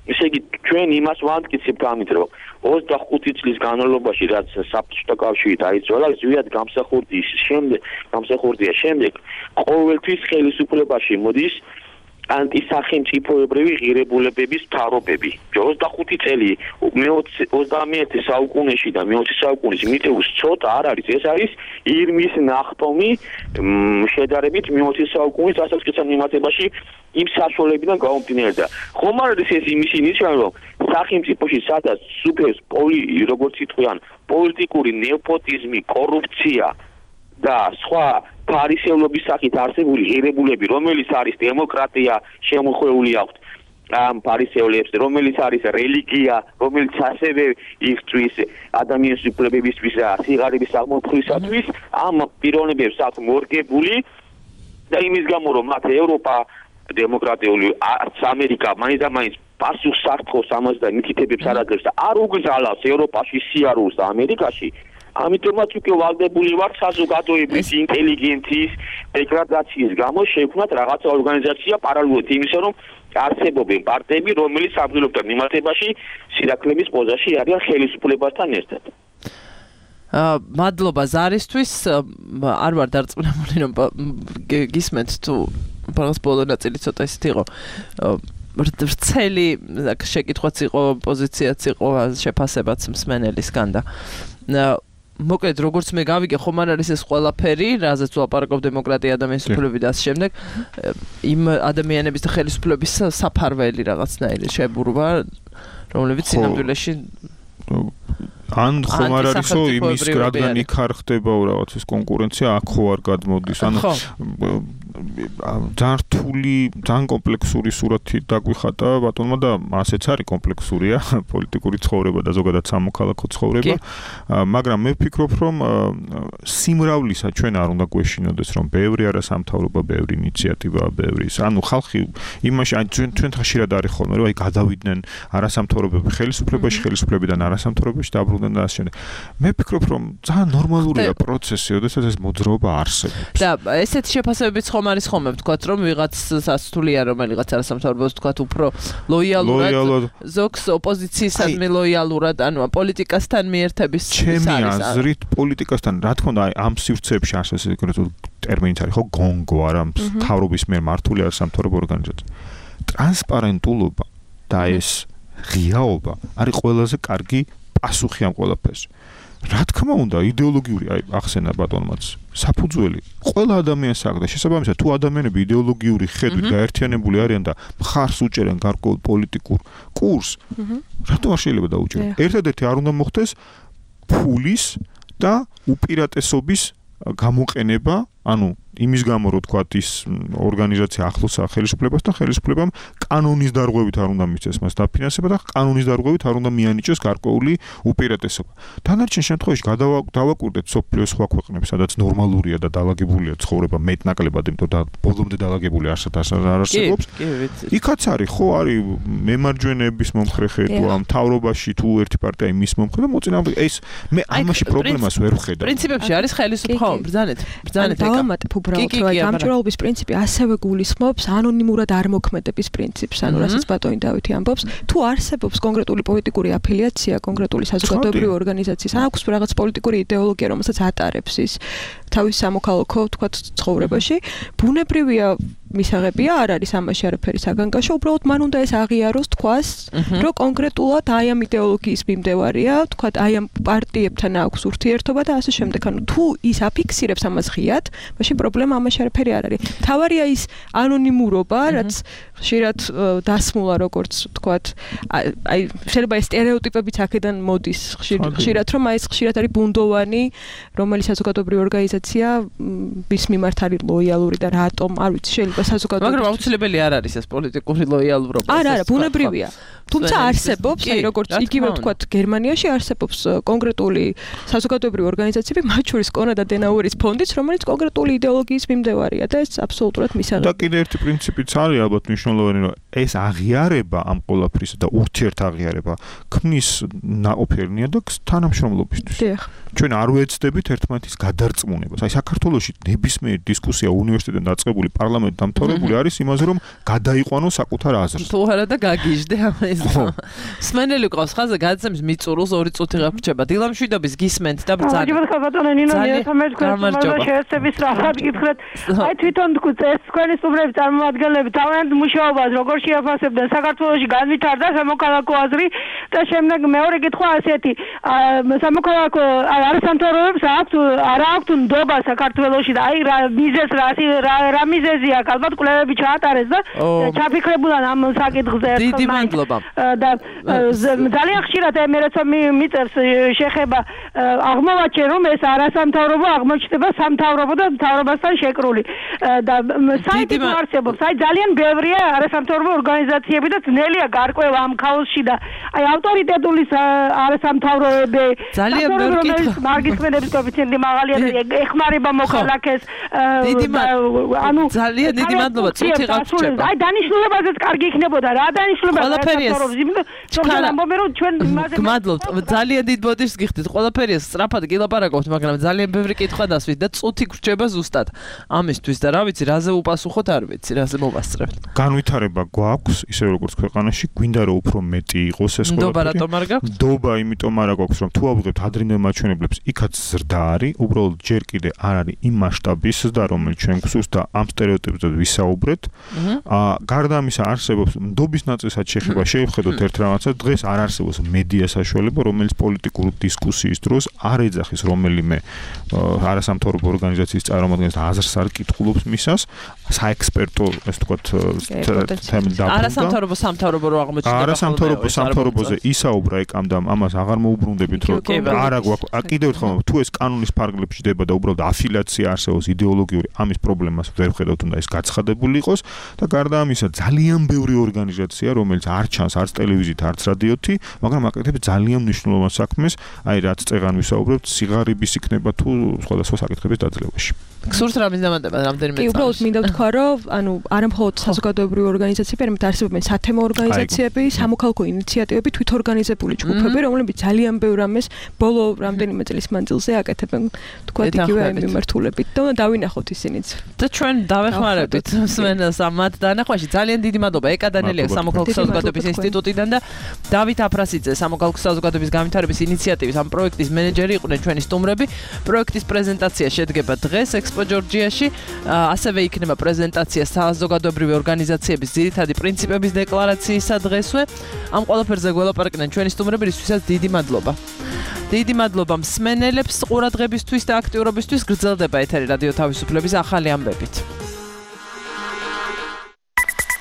ესე იგი ჩვენ იმას ვამტკიცებთ ამით, რომ ოცდახუთი წლის განმავლობაში რაც საბჭოთა კავშირი დაიცვალა, ზვიად გამსახურდის შემდეგ, გამსახურდია შემდეგ ყოველთვის ხელისუფლებაში მოდის ანტისახელმწიფოებრივი ღირებულებების მთავრობები. ოცდახუთი წელი ოცდამეერთე საუკუნეში და მეოცე საუკუნის მიტევის ცოტა არ არის, ეს არის ირმის ნახტომი შედარებით მეოცე საუკუნის დასაწყისთან მიმართებაში იმ საშუალებიდან გამომდინარე და ხომ არ არის ეს იმისი ნიშანი, რომ სახელმწიფოში სადაც სუფევს როგორც იტყვიან პოლიტიკური ნეპოტიზმი, კორუფცია და სხვა ფარისევლობის სახით არსებული ღირებულები, რომელიც არის დემოკრატია, შემოხვეული აქვს ამ ფარისევლებს, რომელიც არის რელიგია, რომელიც ასევე იხთვის ადამიანის უფლებებისთვის და სიღარიბის აღმოფხვისათვის, ამ პიროვნებებს აქვს მორგებული და იმის გამო, რომ მათ ევროპა დემოკრატიული არც ამერიკა მაინც და მაინც პასუხს ართხოვს ამას და მითითებებს არ აძლევს და არ უგზალავს ევროპაში სიარულს და ამერიკაში. ამიტომაც უკვე ვალდებული ვართ საზოგადოების ინტელიგენციის დეგრადაციის გამო შევქმნათ რაღაცა ორგანიზაცია პარალელურად იმისა, რომ არსებობენ პარტიები, რომელიც საბრძოლოებთან მიმართებაში სირაქლების პოზაში არიან ხელისუფლებასთან ერთად. აა მადლობა ზარისთვის, არ ვარ დარწმუნებული, რომ გისმენთ თუ ბოლოს ბოლო ნაწილი ცოტა ისეთი იყო. ვრცელი შეკითხვაც იყო, პოზიციაც იყო, შეფასებაც მსმენელისგან და მოკლედ როგორც მე გავიგე, ხომ არ არის ეს ყველაფერი, რაზეც ვლაპარაკობ დემოკრატია, ადამიანის უფლებები და ასე შემდეგ, იმ ადამიანების და ხელისუფლების საფარველი რაღაცნაირი შებურვა, რომლებიც სინამდვილეში ან ხომ არ არისო იმის რადგან იქ არ ხდება რაღაც ეს კონკურენცია, აქ ხო არ გადმოდის, ანუ ძალიან რთული, ძალიან კომპლექსური სურათი დაგვიხატა ბატონმა და ასეც არის კომპლექსურია პოლიტიკური ცხოვრება და ზოგადად სამოქალაქო ცხოვრება, მაგრამ მე ვფიქრობ, რომ სიმრავლისა ჩვენ არ უნდა გვეშინოდეს, რომ ბევრი არასამთავრობო, ბევრი ინიციატივა, ბევრი, ანუ ხალხი იმაში ჩვენ ჩვენ ხშირად არის ხოლმე, რომ აი გადავიდნენ არასამთავრობოები ხელისუფლებაში, ხელისუფლებიდან არასამთავრობოში დაბრუნდნენ და ასე შემდეგ. მე ვფიქრობ, რომ ძალიან ნორმალურია პროცესი, როდესაც ეს მოძრაობა არსებობს. და ესეთი შეფასებებიც ხომ არის ხოლმე, ვთქვათ, რომ ვიღაც სასთულია, რომელიღაც არასამთავრობოს ვთქვათ, უფრო ლოიალურად, ზოგს ოპოზიციისადმი ლოიალურად, ანუ პოლიტიკასთან მიერთების ჩემი აზრით, პოლიტიკასთან, რა თქმა უნდა, ამ სივრცეებში არსებობს ეგრეთ ტერმინიც არის ხო, გონგო არა, მთავრობის მიერ მართული არასამთავრობო ორგანიზაცია. ტრანსპარენტულობა და ეს ღიაობა არის ყველაზე კარგი პასუხი ამ ყველაფერს. რა თქმა უნდა, იდეოლოგიური, აი, ახსენა ბატონმაც, საფუძველი ყველა ადამიანს აქვს და შესაბამისად, თუ ადამიანები იდეოლოგიური ხედვით გაერთიანებული არიან და მხარს უჭერენ გარკვეულ პოლიტიკურ კურსს, რატო არ შეიძლება დაუჭერონ? ერთადერთი არ უნდა მოხდეს ფულის და უპირატესობის გამოყენება, ანუ იმის გამო რო თქვა ის ორგანიზაცია ახლოსაა ხელისუფლებასთან, ხელისუფლებამ კანონის დარღვევით არ უნდა მისცეს მას დაფინანსება და კანონის დარღვევით არ უნდა მიანიჭოს გარკვეული უპირატესობა. დანარჩენ შემთხვევაში დავაკვირდეთ სოფლიოს სხვა ქვეყნებს, სადაც ნორმალურია და დაალაგებულია ცხოვრება მეტნაკლებად, იმიტომ და ბოლომდე დაალაგებული არსად არ არსებობს. იქაც არის, ხო, არის მემარჯვენეების მომხრე თუ ამ თავრობაში თუ ერთი პარტია იმის მომხრე და მოწინააღმდეგე ეს მე ამაში პრობლემას ვერ ვხედავ. პრინციპებში არის ხელისუფლება, ბრძანეთ, ბრძანეთ ეკა. უბრალოდ გამჭვირვალობის პრინციპი ასევე გულისხმობს ანონიმურად არ მოქმედების პრინციპს, ანუ რასაც ბატონი დავითი ამბობს, თუ არსებობს კონკრეტული პოლიტიკური აფილიაცია, კონკრეტული საზოგადოებრივი ორგანიზაციის, აქვს რაღაც პოლიტიკური იდეოლოგია, რომელსაც ატარებს ის თავის სამოქალაქო, თქვათ, ცხოვრებაში, ბუნებრივია მისაღებია, არ არის ამაში არაფერი საგანგაშო, უბრალოდ მან უნდა ეს აღიაროს, თქვას, რომ კონკრეტულად აი ამ იდეოლოგიის მიმდევარია, თქვათ, აი ამ პარტიებთან აქვს ურთიერთობა და ასე შემდეგ. ანუ თუ ის აფიქსირებს ამას ღიად, მაშინ პრობლემა ამაში არაფერი არ არის. თავარია ის ანონიმურობა, რაც ხშირად დასმულა, როგორც თქვათ, აი შეიძლება ეს სტერეოტიპებიც აქედან მოდის ხშირად, რომ აი ეს ხშირად არის ბუნდოვანი, რომელიც საზოგადოებრივი ორგანიზაცია ვის მიმართ არის ლოიალური და რატომ, არ ვიცი, შეიძლება საზოგადოებრივი. მაგრამ აუცილებელი არ არის ეს პოლიტიკური ლოიალურობა. არა, არა, ბუნებრივია. თუმცა არსებობს, აი როგორც იგივე ვთქვათ, გერმანიაში არსებობს კონკრეტული საზოგადოებრივი ორგანიზაციები, მათ შორის კონრად ადენაუერის ფონდიც, რომელიც კონკრეტული იდეოლოგიის მიმდევარია და ეს აბსოლუტურად მისაღებია. და კიდე ერთი პრინციპიც არის ალბათ მნიშვნელოვანი, რომ ეს აღიარება ამ ყველაფრისა და ურთიერთაღიარება ქმნის ნაყოფიერნია და თანამშრომლობისთვის. დიახ. ჩვენ არ ვეცდებით ერთმანეთის გადარწმუნებას. აი საქართველოში ნებისმიერი დისკუსია უნივერსიტეტიდან დაწყებული, პარლამენტ დამთავრებული არის იმაზე, რომ გადაიყვანოს საკუთარ აზრს. თუ არა და გაგიჟდე ამას. სმენელი ყავს ხაზზე გადაცემის მიწურულს ორი წუთი გავრჩება. დილამშვიდობის გისმენთ და ბრძანეთ. მოგესალმებით ბატონო ნინო, მე თქვენ შეესწების რაღაც გითხრათ. აი თვითონ წეს თქვენი სტუმრების წარმომადგენლები თავიანთ მუშაობას როგორ შეაფასებდნენ საქართველოში განვითარდა სამოქალაქო აზრი და შემდეგ მეორე კითხვა ასეთი. სამოქალაქო არასამთავრობოებს აქვს არა აქვთ ნდობა საქართველოში და აი რა მიზეზს რა რა მიზეზია ალბათ კვლევები ჩაატარეს და ჩაფიქრებულან ამ საკითხზე დიდი მადლობა და ძალიან ხშირად მე როცა მიწევს შეხება აღმოვაჩენ რომ ეს არასამთავრობო აღმოჩნდება სამთავრობო და მთავრობასთან შეკრული და საიტი არსებობს აი ძალიან ბევრია არასამთავრობო ორგანიზაციები და ძნელია გარკვევა ამ ქაოსში და აი ავტორიტეტული არასამთავრობოები ძალიან ბევრი მარგისმენების კოეფიციენტი მაღალია და ეხმარება მოქალაქეს ანუ ძალიან დიდი მადლობა წუთი გავრჩება აი დანიშნულებაზეც კარგი იქნებოდა რა დანიშნულება ყველაფერია ამბობენ რომ ჩვენ იმაზე გმადლობთ ძალიან დიდ ბოდიშს გიხდით ყველაფერია სწრაფად გილაპარაკობთ მაგრამ ძალიან ბევრი კითხვა დასვით და წუთი გვრჩება ზუსტად ამისთვის და რა ვიცი რაზე უპასუხოთ არ ვიცი რაზე მოვასწრებთ განვითარება გვაქვს ისე როგორც ქვეყანაში გვინდა რომ უფრო მეტი იყოს ეს ყველაფერი ნდობა რატომ არ გაქვს ნდობა იმიტომ არ გაქვს რომ თუ ავიღებთ ადრინდელ მაჩვენებლებს იქაც ზრდა არის უბრალოდ ჯერ კი კიდე არ არის იმ მასშტაბის და რომელიც ჩვენ გვსურს და ამ სტერეოტიპებზე ვისაუბრეთ. აა გარდა ამისა არსებობს ნდობის ნაწილსაც შეხება შევხედოთ ერთ რაღაცას დღეს არ არსებობს მედია საშუალება რომელიც პოლიტიკურ დისკუსიის დროს არ ეძახის რომელიმე არასამთავრობო ორგანიზაციის წარმომადგენელს და აზრს არ კითხულობს მისას საექსპერტო ეს თქვათ თემი და არასამთავრობო სამთავრობო რო აღმოჩნდება არასამთავრობო სამთავრობოზე ისაუბრა ეკამ და ამას აღარ მოუბრუნდებით რომ არა გვაქვს კიდევ ერთხელ თუ ეს კანონის ფარგლებში დება და უბრალოდ αφილაცია არსებობს იდეოლოგიური ამის პრობლემას ვერ ვხედავთ უნდა ეს გაცხადებული იყოს და გარდა ამისა ძალიან ბევრი ორგანიზაცია რომელიც არ ჩანს არც ტელევიზიით არც რადიოთი მაგრამ აკეთებს ძალიან მნიშვნელოვან საქმეს აი რაც წეღან ვისაუბრებთ სიღარიბის იქნება თუ სხვადასხვა საკითხების დაძლევაში გსურთ რამის დამატება რამდენიმე წამში. კი, უბრალოდ მინდა ვთქვა, რომ ანუ არა მხოლოდ საზოგადოებრივი ორგანიზაციები, არამედ არსებობენ სათემო ორგანიზაციები, სამოქალაქო ინიციატივები, თვითორგანიზებული ჯგუფები, რომლებიც ძალიან ბევრ რამეს ბოლო რამდენიმე წლის მანძილზე აკეთებენ, თქვა იგივე მიმართულებით. და დავინახოთ ისინიც. და ჩვენ დავეხმარებით მსმენელს ამათ დანახვაში. ძალიან დიდი მადლობა ეკა დანელია სამოქალაქო საზოგადოების ინსტიტუტიდან და დავით აფრასიძე სამოქალაქო საზოგადოების განვითარების ინიციატივის ამ პროექტის მენეჯერი იყვნენ ჩვენი სტუმრები. პროექტის პრეზენტაცია შედგება დღეს ექსპო ჯორჯიაში, ასევე იქნება პრეზენტაცია საზოგადოებრივი ორგანიზაციების ძირითადი პრინციპების დეკლარაციისა დღესვე. ამ ყველაფერზე გველაპარაკდნენ ჩვენი სტუმრები, რისთვისაც დიდი მადლობა. დიდი მადლობა მსმენელებს ყურადღებისთვის და აქტიურობისთვის. გრძელდება ეთერი რადიო თავისუფლების ახალი ამბებით.